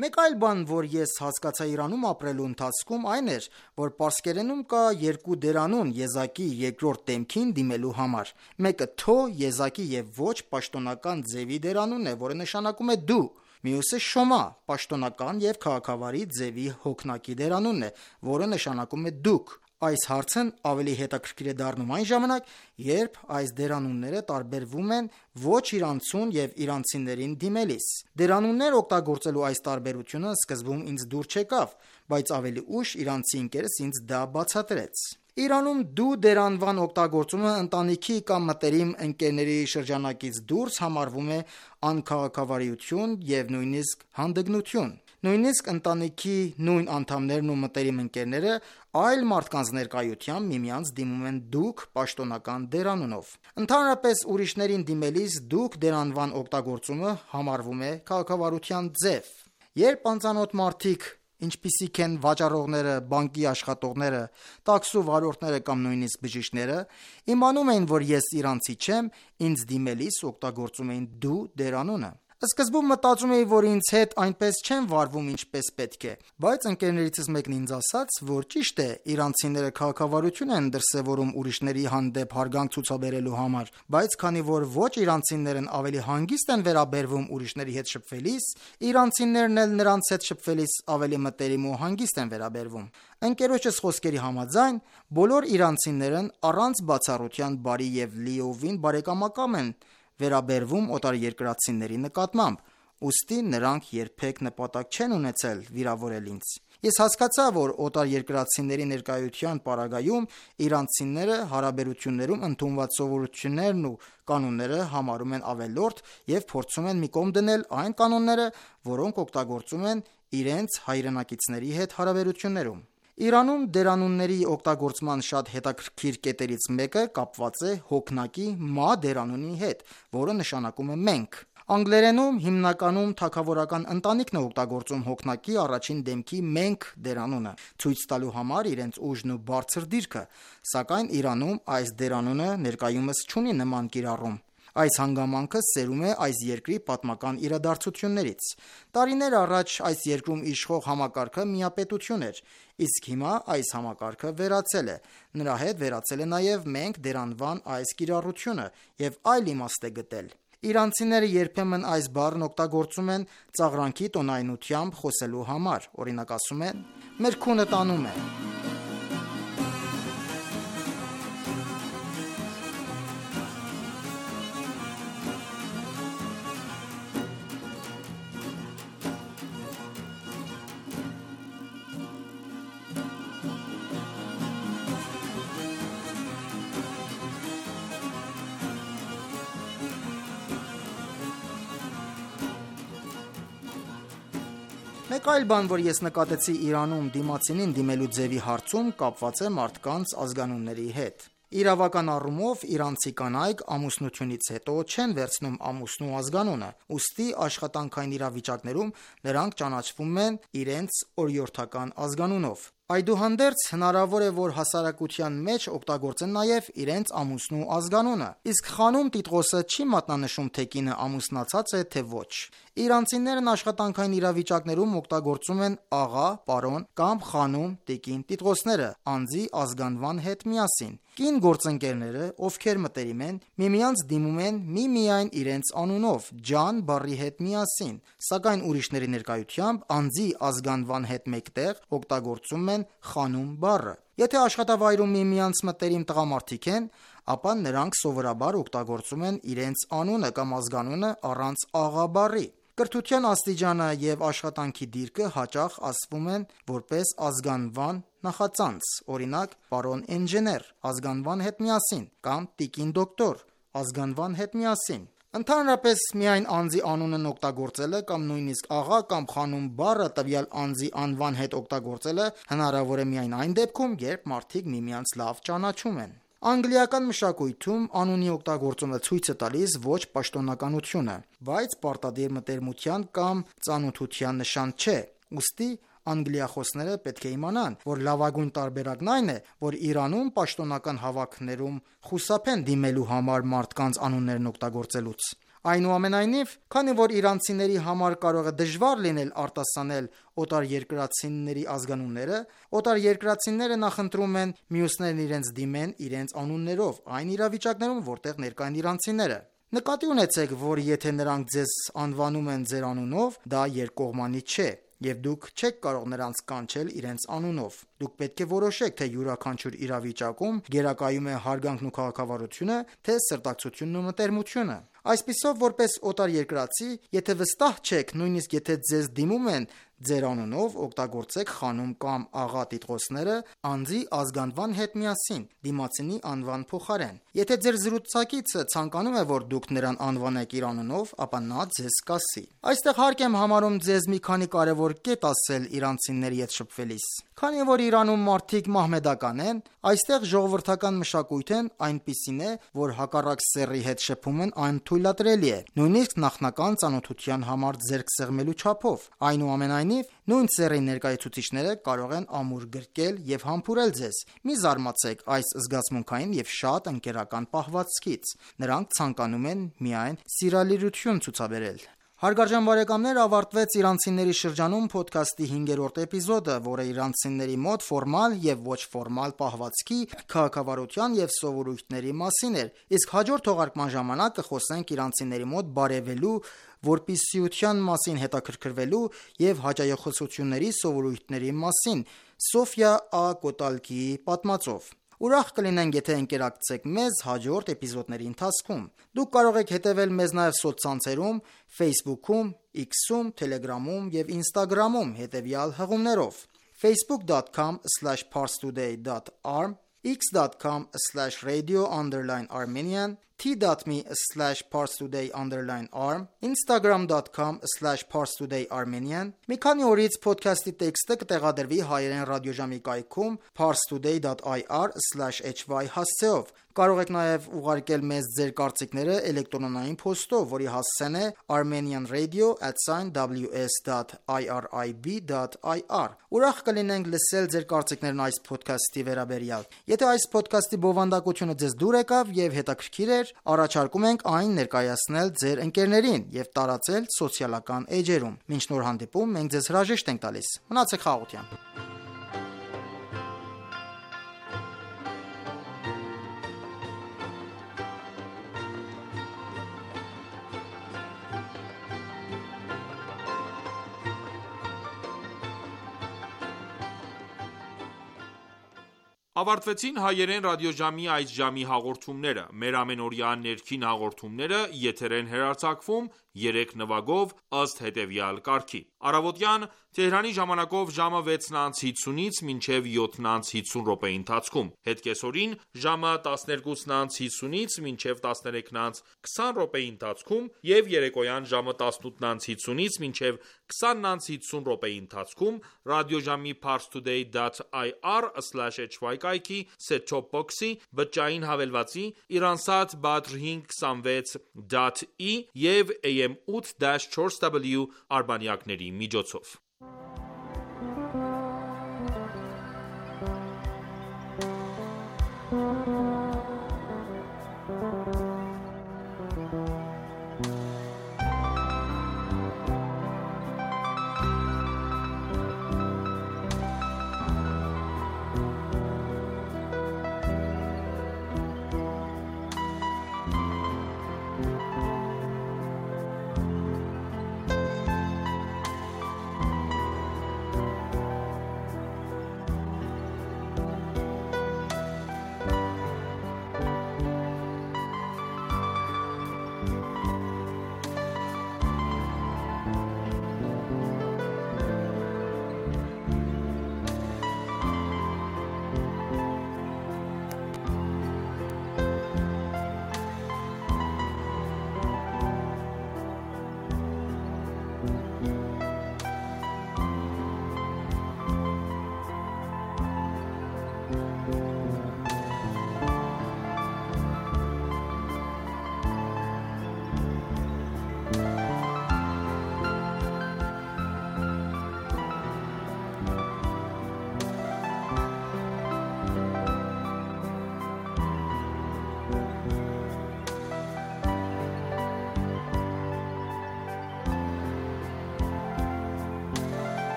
Մեկ այլ բան, որ ես հասկացա Իրանում ապրելու ընթացքում, այն էր, որ պարսկերենում կա երկու դերանուն եզակի երկրորդ դեմքին դիմելու համար։ Մեկը թո, եզակի եւ ոչ պաշտոնական ձևի դերանունն է, որը նշանակում է դու։ Մյուսը շոմա, պաշտոնական եւ քաղաքավարի ձևի հոգնակի դերանունն է, որը նշանակում է դուք։ Այս հարցն ավելի հետաքրքիր է դառնում այն ժամանակ, երբ այս դերանունները տարբերվում են ոչ իրանցուն եւ իրանցիներին դիմելիս։ Դերանուններ օգտագործելու այս տարբերությունը սկզբում ինձ դուր չեկավ, բայց ավելի ուշ իրանցի ընկերս ինձ դա բացատրեց։ Իրանում դու դերանվան օգտագործումը ընտանիքի կամ մտերիմ ընկերների շրջանակից դուրս համարվում է անքաղաքավարություն եւ նույնիսկ հանդգնություն։ Նույնիսկ ընտանիքի նույն անդամներն ու մտերիմ ընկերները այլ մարդկանց ներկայությամբ միմյանց դիմում են դուք պաշտոնական դերանունով։ Ընդհանրապես, ուրիշներին դիմելիս դուք դերանվան օգտագործումը համարվում է քաղաքավարության ձև։ Երբ անծանոթ մարդիկ, ինչպիսիք են վաճառողները, բանկի աշխատողները, տաքսու վարորդները կամ նույնիսկ բժիշկները, իմանում էին, որ ես իրանցի չեմ, ինձ դիմելիս օգտագործում էին դու դերանունը։ Սկզբում մտածում էի, որ ինձ հետ այնպես չեն վարվում ինչպես պետք է, բայց ընկերներիցս մեկն ինձ ասաց, որ ճիշտ է, իրանցիները քաղաքավարություն են դրսևորում ուրիշների հանդեպ հարգանք ցուցաբերելու համար, բայց քանի որ ոչ իրանցիներն ավելի հանգիստ են վերաբերվում ուրիշների հետ շփվելիս, իրանցիներն էլ նրանց հետ շփվելիս ավելի մտերիմ ու հանգիստ են վերաբերվում։ Ընկերոջս խոսքերի համաձայն, բոլոր իրանցիներն առանց բացառության բարի եւ լիովին բարեկամական են վերաբերվում օտարերկրացիների նկատմամբ, ուստի նրանք երբեք նպատակ չեն ունեցել վիրավորել ինձ։ Ես հասկացա, որ օտարերկրացիների ներկայության պարագայում իրանցիները հարաբերություններում ընդունված սովորություններն ու կանոնները համարում են ավելորդ և փորձում են մի կողմ դնել այն կանոնները, որոնք օգտագործում են իրենց հայրենակիցների հետ հարաբերություններում։ Իրանում դերանունների օգտագործման շատ հետաքրքիր կետերից մեկը կապված է հոգնակի մա դերանունի հետ, որը նշանակում է մենք։ Անգլերենում հիմնականում թագավորական ընտանիքն է օգտագործում հոգնակի առաջին դեմքի մենք դերանունը, ցույց տալու համար իրենց ուժն ու բարձր դիրքը, սակայն Իրանում այս դերանունը ներկայումս չունի նման կիրառում։ Այս հանգամանքը սերում է այս երկրի պատմական իրադարձություններից։ Տարիներ առաջ այս երկրում իշխող համակարգը միապետություն էր, իսկ հիմա այս համակարգը վերացել է։ Նրա հետ վերացել է նաև մենք դերանվան այս կիրառությունը և այլ իմաստ է գտել։ Իրանցիները երբեմն այս բառն օգտագործում են ծաղրանքի տոնայնությամբ խոսելու համար, օրինակ ասում են. «Մեր քունը տանում է»։ Մեկ այլ բան, որ ես նկատեցի Իրանում դիմացինին դիմելու ձևի հարցում, կապված է մարդկանց ազգանունների հետ։ Իրավական առումով իրանցի կանայք ամուսնությունից հետո չեն վերցնում ամուսնու ազգանունը, ուստի աշխատանքային իրավիճակներում նրանք ճանաչվում են իրենց օրիորդական ազգանունով։ Այդուհանդերձ հնարավոր է, որ հասարակության մեջ օգտագործեն նաև իրենց ամուսնու ազգանունը, իսկ խանում տիտղոսը չի մատնանշում, թե կինը ամուսնացած է, թե ոչ։ Իրանցիներն աշխատանքային իրավիճակներում օգտագործում են աղա, պարոն կամ խանում, տիկին տիտղոսները անձի ազգանվան հետ միասին։ Կին գործընկերները, ովքեր մտերիմ են, միմյանց դիմում են միմիայն իրենց անունով, ջան բառի հետ միասին, սակայն ուրիշների ներկայությամբ անձի ազգանվան հետ մեկտեղ օգտագործում են խանում բառը։ Եթե աշխատավայրում միմյանց մտերիմ տղամարդիկ են, ապա նրանք սովորաբար օգտագործում են իրենց անունը կամ ազգանունը առանց աղա բառի։ Կրթության աստիճանը և աշխատանքի դիրքը հաճախ ասվում են որպես ազգանվան նախածանց, օրինակ պարոն ինժեներ ազգանվան հետ միասին կամ տիկին դոկտոր ազգանվան հետ միասին։ Ընդհանրապես միայն անձի անունն օգտագործելը կամ նույնիսկ աղա կամ խանում բառը տվյալ անձի անվան հետ օգտագործելը հնարավոր է միայն այն դեպքում, երբ մարդիկ միմյանց լավ ճանաչում են։ Անգլիական մշակույթում անունի օգտագործումը ցույց է տալիս ոչ պաշտոնականությունը, բայց պարտադիր մտերմության կամ ծանոթության նշան չէ։ Ուստի անգլիախոսները պետք է իմանան, որ լավագույն տարբերակն այն է, որ Իրանում պաշտոնական հավաքներում խուսափեն դիմելու համար մարդկանց անուններն օգտագործելուց։ Այնուամենայնիվ, քանի որ իրանցիների համար կարող է դժվար լինել արտասանել օտարերկրացիների ազգանունները, օտարերկրացիները նախընտրում են մյուսներն իրենց դիմեն իրենց անուններով այն իրավիճակներում, որտեղ ներկա են իրանցիները։ Նկատի ունեցեք, որ եթե նրանք ձեզ անվանում են ձեր անունով, դա երկկողմանի չէ, և դուք չեք կարող նրանց կանչել իրենց անունով։ Դուք պետք է որոշեք, թե յուրաքանչյուր իրավիճակում գերակայում է հարգանքն ու քաղաքավարությունը, թե սրտակցությունն ու մտերմությունը։ Այսպիսով, որպես օտարերկրացի, եթե վստահ չեք, նույնիսկ եթե ձեզ դիմում են ձեր անունով, օգտագործեք խանում կամ աղա տիտղոսները անձի ազգանվան հետ միասին, դիմացինի անվան փոխարեն։ Եթե ձեր զրուցակիցը ցանկանում է, որ դուք նրան անվանեք իր անունով, ապա նա ձեզ կասի։ Այստեղ հարկ եմ համարում ձեզ մի քանի կարևոր կետ ասել իրանցիների հետ շփվելիս։ Քանի որ Իրանում մարդիկ մահմեդական են, այստեղ ժողովրդական մշակույթն այնպիսին է, որ հակառակ սեռի հետ շփումն անթույլատրելի է, նույնիսկ նախնական ծանոթության համար ձեռք սեղմելու չափով։ Այնուամենայնիվ, նույն սեռի ներկայացուցիչները կարող են ամուր գրկել և համբուրել ձեզ։ Մի զարմացեք այս զգացմունքային և շատ ընկերական պահվածքից։ Նրանք ցանկանում են միայն սիրալիրություն ցուցաբերել։ Հարգարժան բարեկամներ, ավարտվեց իրանցիների շրջանում փոդքասթի հինգերորդ էպիզոդը, որը իրանցիների մոտ ֆորմալ և ոչ ֆորմալ պահվածքի, քաղաքավարության և սովորույթների մասին էր, իսկ հաջորդ թողարկման ժամանակ կխոսենք իրանցիների մոտ բարևելու, որպիսիության մասին հետաքրքրվելու և հաճայախոսությունների սովորույթների մասին Սոֆիա Ա. Կոտալկիի պատմածով։ Ուրախ կլինենք, եթե ընկերակցեք մեզ հաջորդ էպիզոդների ընթացքում։ Դուք կարող եք հետևել մեզ նաև սոցցանցերում, Facebook-ում, X-ում, Telegram-ում եւ Instagram-ում հետևյալ հղումներով. facebook dot com slash parstoday dot arm, x dot com slash radio underline armenian, t dot m e slash parstoday underline arm, instagram dot com slash parstoday armenian։ Մի քանի օրից ոդքասթի տեքստը կտեղադրվի հայերեն ռադիոժամի կայքում parstoday dot i r slash h y հասցեով։ Կարող եք նաև ուղարկել մեզ ձեր կարծիքները էլեկտրոնային փոստով, որի հասցեն է armenian radio at w s dot i r i b dot i r։ Ուրախ կլինենք լսել ձեր կարծիքներն այս ոդքասթի վերաբերյալ։ Եթե այս ոդքասթի բովանդակությունը ձեզ դուր եկավ եւ հետաքրքիր էր, առաջարկում ենք այն ներկայացնել ձեր ընկերներին եւ տարածել սոցիալական էջերում։ Մինչ նոր հանդիպում, մենք ձեզ հրաժեշտ ենք տալիս։ Մնացեք խաղաղությամբ։
Ավարտվեցին հայերեն ռադիոժամի այս ժամի հաղորդումները։ Մեր ամենօրյա ներքին հաղորդումները եթեր են հեռարձակվում երեք նվագով ըստ հետևյալ կարգի. Առավոտյան Թեհրանի ժամանակով ժամը վեցն անց հիսունից մինչև յոթն անց հիսուն րոպեի ընթացքում, հետկեսօրին ժամը տասներկուսն անց հիսունից մինչև տասներեքն անց քսան րոպեի ընթացքում եւ երեկոյան ժամը տասնութն անց հիսունից մինչև քսանն անց հիսուն րոպեի ընթացքում ռադիոժամի parstoday dot i r slash h y կայքի set-top box-ի բջջային հավելվածի Iransat Badr հինգ քսանվեց dot i եւ a m eight dash four w արբանյակների միջոցով։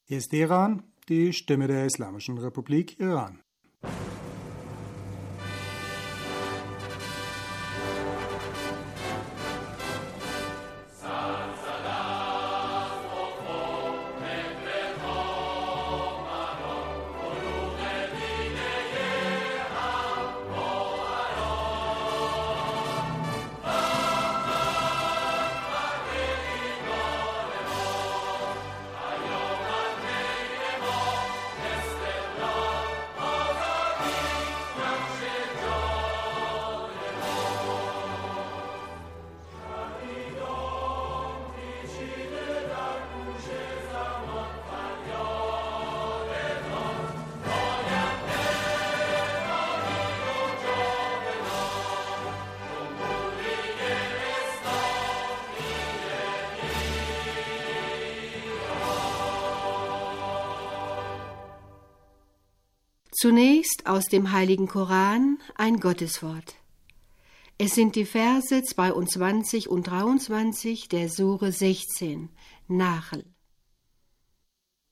Hier ist Iran, die Stimme der Islamischen Republik Iran. Zunächst aus dem Heiligen Koran ein Gotteswort. Es sind die Verse zweiundzwanzig und dreiundzwanzig der Sure sechzehn, Nahl.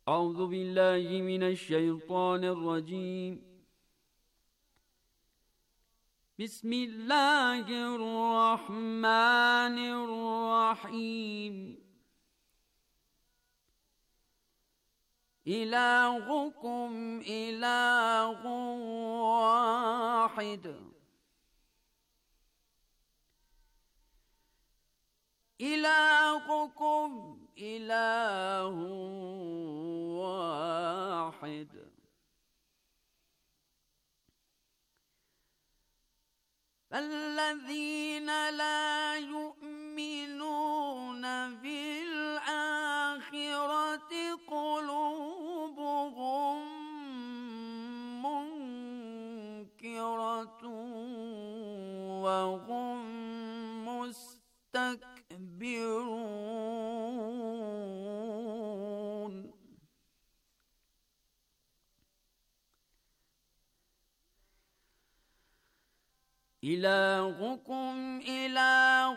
أعوذ بالله من الشيطان الرجيم بسم الله الرحمن الرحيم إلهكم إله واحد إلهكم إله واحد فالذين لا يؤمنون بالآخرة قلوبهم منكرة وهم مستكبرون إلهكم إله